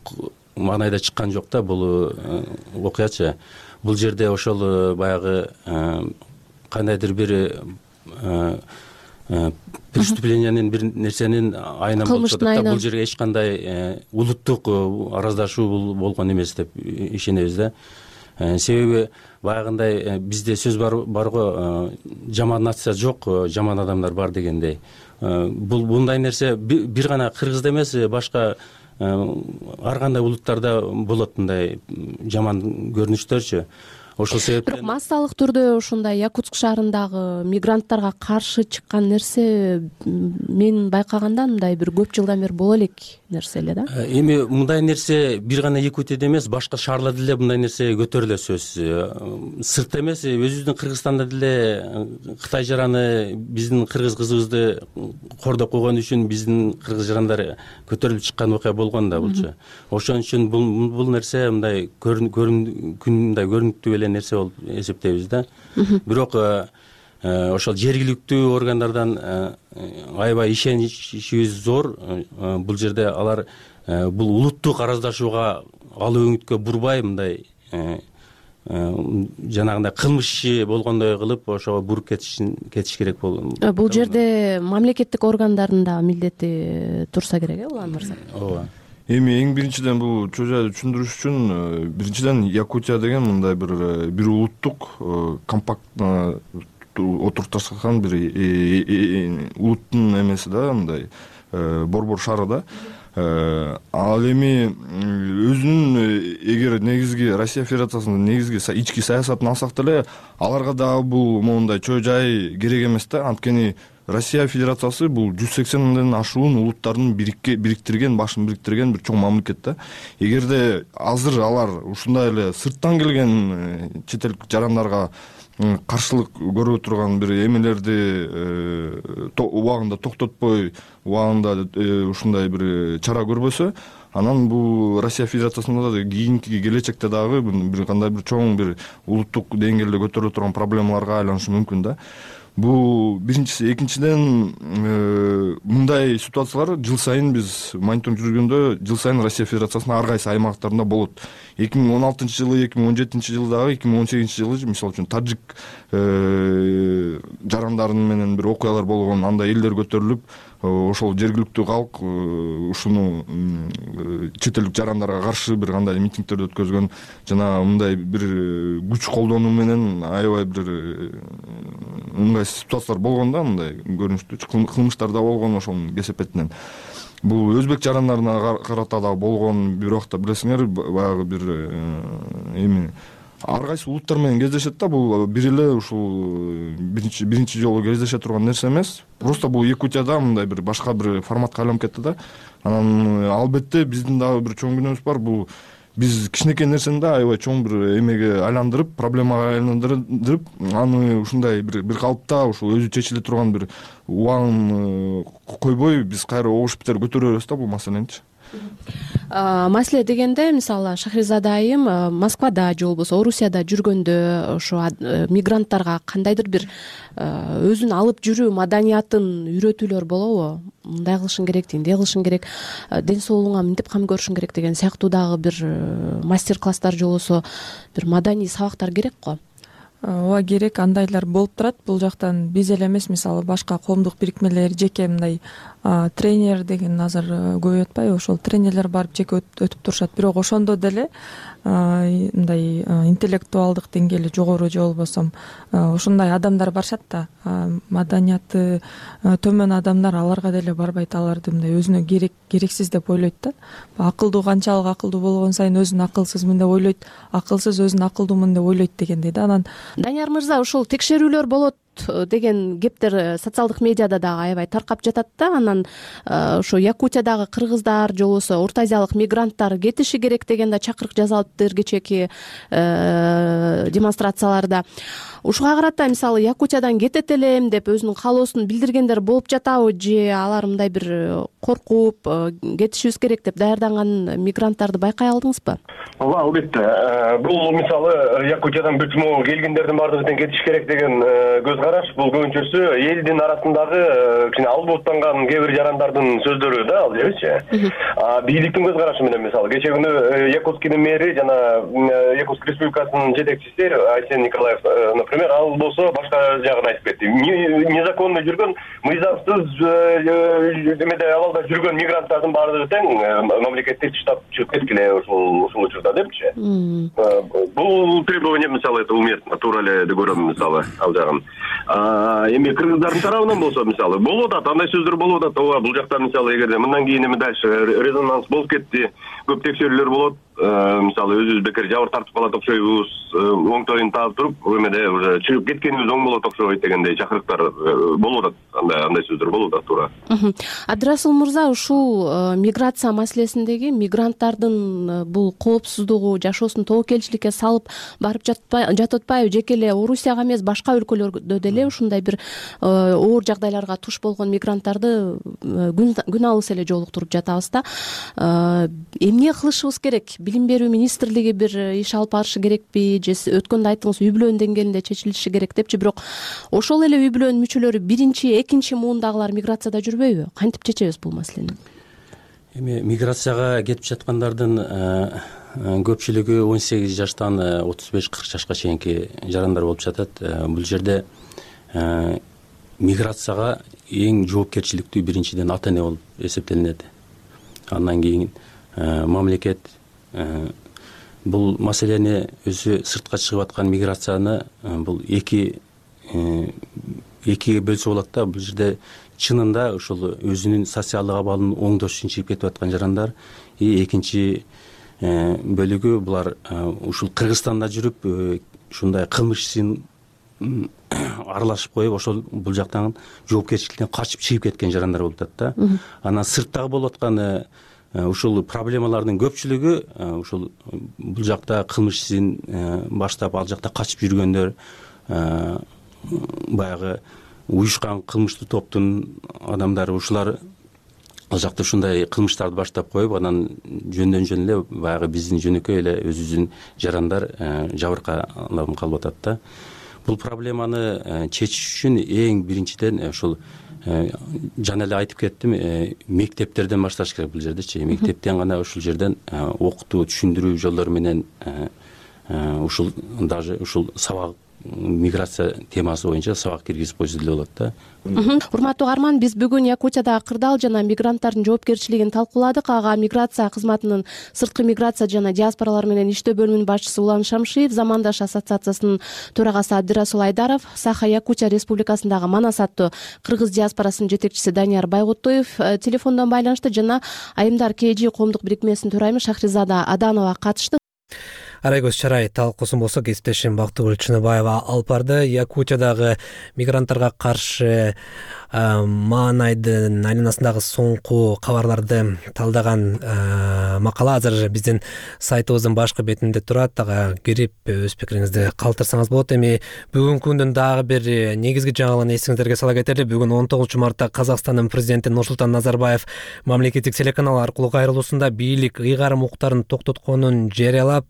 маанайда чыккан жок да бул окуячы. Бул жерде ошол баягы кандайдыр бир преступлениянын бир нерсенин айынан болуп жатат да. Бул жерге эч кандай улуттук араздашуу болгон эмес деп ишенебиз да. Себеби баягындай бизде сөз бар го, жаман нация жок, жаман адамдар бар дегендей. Мындай нерсе бир гана кыргызда эмес, башка ар кандай улуттарда болот мындай жаман көрүнүштөрчү. Ошол себептен бирок массалык түрдө ушундай Якутск шаарындагы мигранттарга каршы чыккан нерсе мен байкаганда мындай бир көп жылдан бери боло элек нерсе эле да. Эми мындай нерсе бир гана Якутияда эмес, башка шаарларда деле мындай нерсе көтөрүлө сөз. Сыртта эмес, өзүбүздүн Кыргызстанда деле Кытай жараны биздин кыргыз кызыбызды кордоп койгон үчүн биздин кыргыз жарандар көтөрүлүп чыккан окуя болгон да булчу. Ошон үчүн бул нерсе мындай көрүнүктүү нерсе болуп эсептейбиз да. Бирок ошол жергиликтүү органдардан аябай ишеничибиз зор. Бул жерде алар бул улуттук араздашууга ал өңүткө бурбай мындай жанагындай кылмыш иши болгондой кылып ошого буруп кетиш керек болду. Бул жерде мамлекеттик органдардын да милдети турса керек, Улан мырза. Ооба. Эми эң биринчиден бул чоо жайды түшүндүрүш үчүн биринчиден Якутия деген мындай бир улуттук компактно отурупташкан бир улуттун эмеси да, мындай борбор шаары да. Ал эми өзүнүн эгер негизги Россия Федерациясынын негизги ички саясатын алсак деле аларга дагы бул моундай чоо жай керек эмес да. Анткени Россия Федерациясы бул 180ден ашуун улуттардын башын бириктирген бир чоң мамлекет да. Эгерде азыр алар ушундай эле сырттан келген чет элдик жарандарга каршылык көрүп турган бир эмелерди убагында токтотпой, убагында ушундай бир чара көрбөсө, анан бул Россия Федерациясында да кийинки келечекте дагы бир кандай бир чоң бир улуттук деңгээлде көтөрүлө турган проблемаларга айланышы мүмкүн да. Бул биринчиси. Экинчиден мындай ситуациялар жыл сайын биз мониторинг жүргөндө жыл сайын Россия Федерациясынын ар кайсы аймактарында болот. 2016-жылы, 2017-жылдагы, 2018-жылы мисалы үчүн тажик жарандарын менен бир окуялар болгон, андай элдер көтөрүлүп, ошол жергиликтүү калк ушуну чет элдик жарандарга каршы бир кандай митингдерди өткөзгөн жана мындай бир күч колдонуу менен аябай бир ыңгайсыз ситуациялар болгон да, мындай көрүнүштүү кылмыштар да болгон ошонун кесепетинен. Бул өзбек жарандарына карата да болгон, бир убакта билесиңер баягы бир эми ар кайсы улуттар менен кездешет да, бул бир эле ушул биринчи жолу кездеше турган нерсе эмес. Просто бул Якутияда мындай бир башка бир форматка айланып кетти да. Анан албетте биздин дагы бир чоң күнөөбүз бар. Бул биз кичинекей нерсени да аябай чоң бир эмеге айландырып, проблемага айландырып, аны ушундай бир калыпта ушул өзү чечиле турган бир убагын койбой биз кайра огуш битер көтөрө беребиз да бул маселеничи. Маселе дегенде, мисалы Шахризада айым Москвада же болбосо Орусияда жүргөндө ошо мигранттарга кандайдыр бир өзүн алып жүрүү маданиятын үйрөтүүлөр болобу? Мындай кылышың керек, тиндей кылышың керек, ден соолугуңа мынтип кам көрүшүң керек деген сыяктуу дагы бир мастер класстар же болбосо бир маданий сабактар керек го. Ооба, керек, андайлар болуп турат. Бул жактан биз эле эмес, мисалы башка коомдук бирикмелер жеке мындай тренер деген азыр көп өтпайбы, ошол тренерлер барып жеке өтүп турушат. Бирок ошондо деле мындай интеллектуалдык деңгээли жогору же болбосо ушундай адамдар барышат да. Маданияты төмөн адамдар аларга деле барбайт, аларды мындай өзүнө керексиз деп ойлойт да. Акылдуу канчалык акылдуу болгон сайын өзүн акылсызмын деп ойлойт, акылсыз өзүн акылдуумун деп ойлойт дегендей да. Анан Данияр мырза, ушул текшерүүлөр болот деген кептер социалдык медиада дагы аябай таркап жатат да. Анан ошо Якутиядагы кыргыздар же болбосо Орто Азиялык мигранттар кетиши керек деген да чакырык жасалыптыр кечээки демонстрацияларда. Ушуга карата мисалы Якутиядан кетет элем деп өзүнүн каалоосун билдиргендер болуп жатабы, же алар мындай бир коркуп кетишибиз керек деп даярданган мигранттарды байкай алдыңызбы? Ооба, албетте. Бул мисалы Якутиядан бүтмө келгендердин баардыгы тең кетиш керек деген көз караш, бул көбүнчөсү элдин арасындагы кичине албооттанган кээ бир жарандардын сөздөрү да, ал жерчи. Бийликтин көз карашы менен мисалы кечээ күнү Якутскийдин мэри жана Якутск Республикасынын жетекчиси Айсен Николаев, например, ал болсо башка жагын айтып кетти. Незаконно жүргөн, мыйзамсыз эмеде абалда жүргөн мигранттардын баардыгы тең мамлекетти таштап чыгып кеткиле ушул учурда депчи. Бул требование мисалы это уместно, туура эле деп көрөм мисалы ал жагын. Эми кыргыздардын тарабынан болсо мисалы болуп атат, андай сөздөр болуп атат. Ооба, бул жакта мисалы эгерде мындан кийин эми дальше резонанс болуп кетти, көп текшерүүлөр болот. Мисалы өзүбүз бекер жабыр тартып калат окшойбуз, оңтойун таап туруп, эмеде уже чыгып кеткенибиз оң болот окшойт дегендей чакырыктар болуп атат. Андай сөздөр болуп атат, туура. Абдрасул мырза, ушул миграция маселесиндеги мигранттардын бул коопсуздугу, жашоосун тобокелчиликке салып барып жатып атпайбы? Жеке эле Орусияга эмес, башка өлкөлөрдө деле ушундай бир оор жагдайларга туш болгон мигранттарды күн алыс эле жолуктуруп жатабыз да. Эмне кылышыбыз керек? Билим берүү министрлиги бир иш алып барышы керекпи, же өткөндө айттыңыз үй бүлөнүн деңгээлинде чечилиши керек депчи, бирок ошол эле үй бүлөнүн мүчөлөрү биринчи, экинчи муундагылар миграцияда жүрбөйбү? Кантип чечебиз бул маселени? Эми миграцияга кетип жаткандардын көпчүлүгү 18 жаштан 35-40 жашка чейинки жарандар болуп жатат. Бул жерде миграцияга эң жоопкерчиликтүү биринчиден ата эне болуп эсептелинет. Андан кийин мамлекет бул маселени өзү сыртка чыгып аткан миграцияны бул экиге бөлсө болот да. Бул жерде чынында ушул өзүнүн социалдык абалын оңдош үчүн чыгып кетип аткан жарандар, экинчи бөлүгү булар ушул Кыргызстанда жүрүп ушундай кылмыш ишин аралашып коюп, ошол бул жактан жоопкерчиликтен качып чыгып кеткен жарандар болуп атат да. Анан сырттагы болуп аткан ушул проблемалардын көпчүлүгү ушул бул жакта кылмыш ишин баштап ал жакта качып жүргөндөр, баягы уюшкан кылмыштуу топтун адамдары, ушулар ал жакта ушундай кылмыштарды баштап коюп, анан жөндөн жөн эле баягы биздин жөнөкөй эле өзүбүздүн жарандар жабыркаланып калып атат да. Бул проблеманы чечиш үчүн эң биринчиден ушул жана эле айтып кеттим, мектептерден башташ керек бул жердечи. Мектептен гана ушул жерден окутуу, түшүндүрүү жолдору менен ушул даже ушул сабак миграция темасы боюнча сабак киргизип койсо деле болот да. Урматтуу угарман, биз бүгүн Якутияда кырдаал жана мигранттардын жоопкерчилигин талкууладык. Ага миграция кызматынын сырткы миграция жана диаспоралар менен иштөө бөлүмүнүн башчысы Улан Шамшиев, Замандаш ассоциациясынын төрагасы Абдырасул Айдаров, Саха Якутия Республикасындагы Манас аттуу кыргыз диаспорасынын жетекчиси Данияр Байгутуев телефондон байланышты жана Айымдар КЖ коомдук бирикмесинин төрайымы Шахризада Аданова катышты. Арайгөз чарай талкуусун болсо кесиптешим Бактыгүл Чыныбаева алып барды. Якутиядагы мигранттарга каршы маанайдын айланасындагы соңку кабарларды талдаган макала азыр биздин сайтыбыздын башкы бетинде турат. Ага кирип өз пикириңизди калтырсаңыз болот. Эми бүгүнкү күндүн дагы бир негизги жаңылыгын эсиңиздерге сала кетели. Бүгүн 19 мартта Казакстандын президенти Нурсултан Назарбаев мамлекеттик телеканал аркылуу кайрылуусунда бийлик ыйгарым укуктарын токтотконун жарыялап,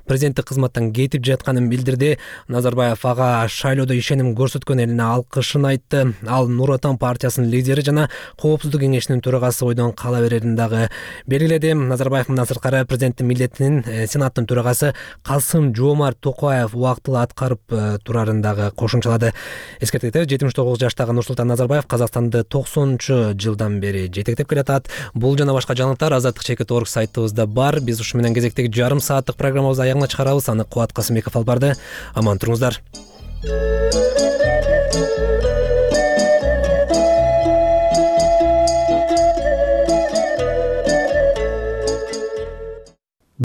президенттик кызматтан кетип жатканын билдирди. Назарбаев ага шайлоодо ишеним көрсөткөн элине алкышын айтты. Ал Нур Отан партиясынын лидери жана Коопсуздук кеңешинин төрагасы бойдон кала берерин дагы белгиледи. Назарбаев мындан сырткары президенттин милдетин Сенаттын төрагасы Касым Жомарт Токаев убактылуу аткарып турарын дагы кошумчалады. Эскертет, 79 жаштагы Нурсултан Назарбаев Казакстанды 90-жылдан бери жетектеп келатат. Бул жана башка жаңылыктар azadtik.org сайтыбызда бар. Биз ушу менен кезектеги жарым сааттык программабызды аягына чыгарабыз. Аны Кубат Касымбеков алып барды. Аман туруңуздар.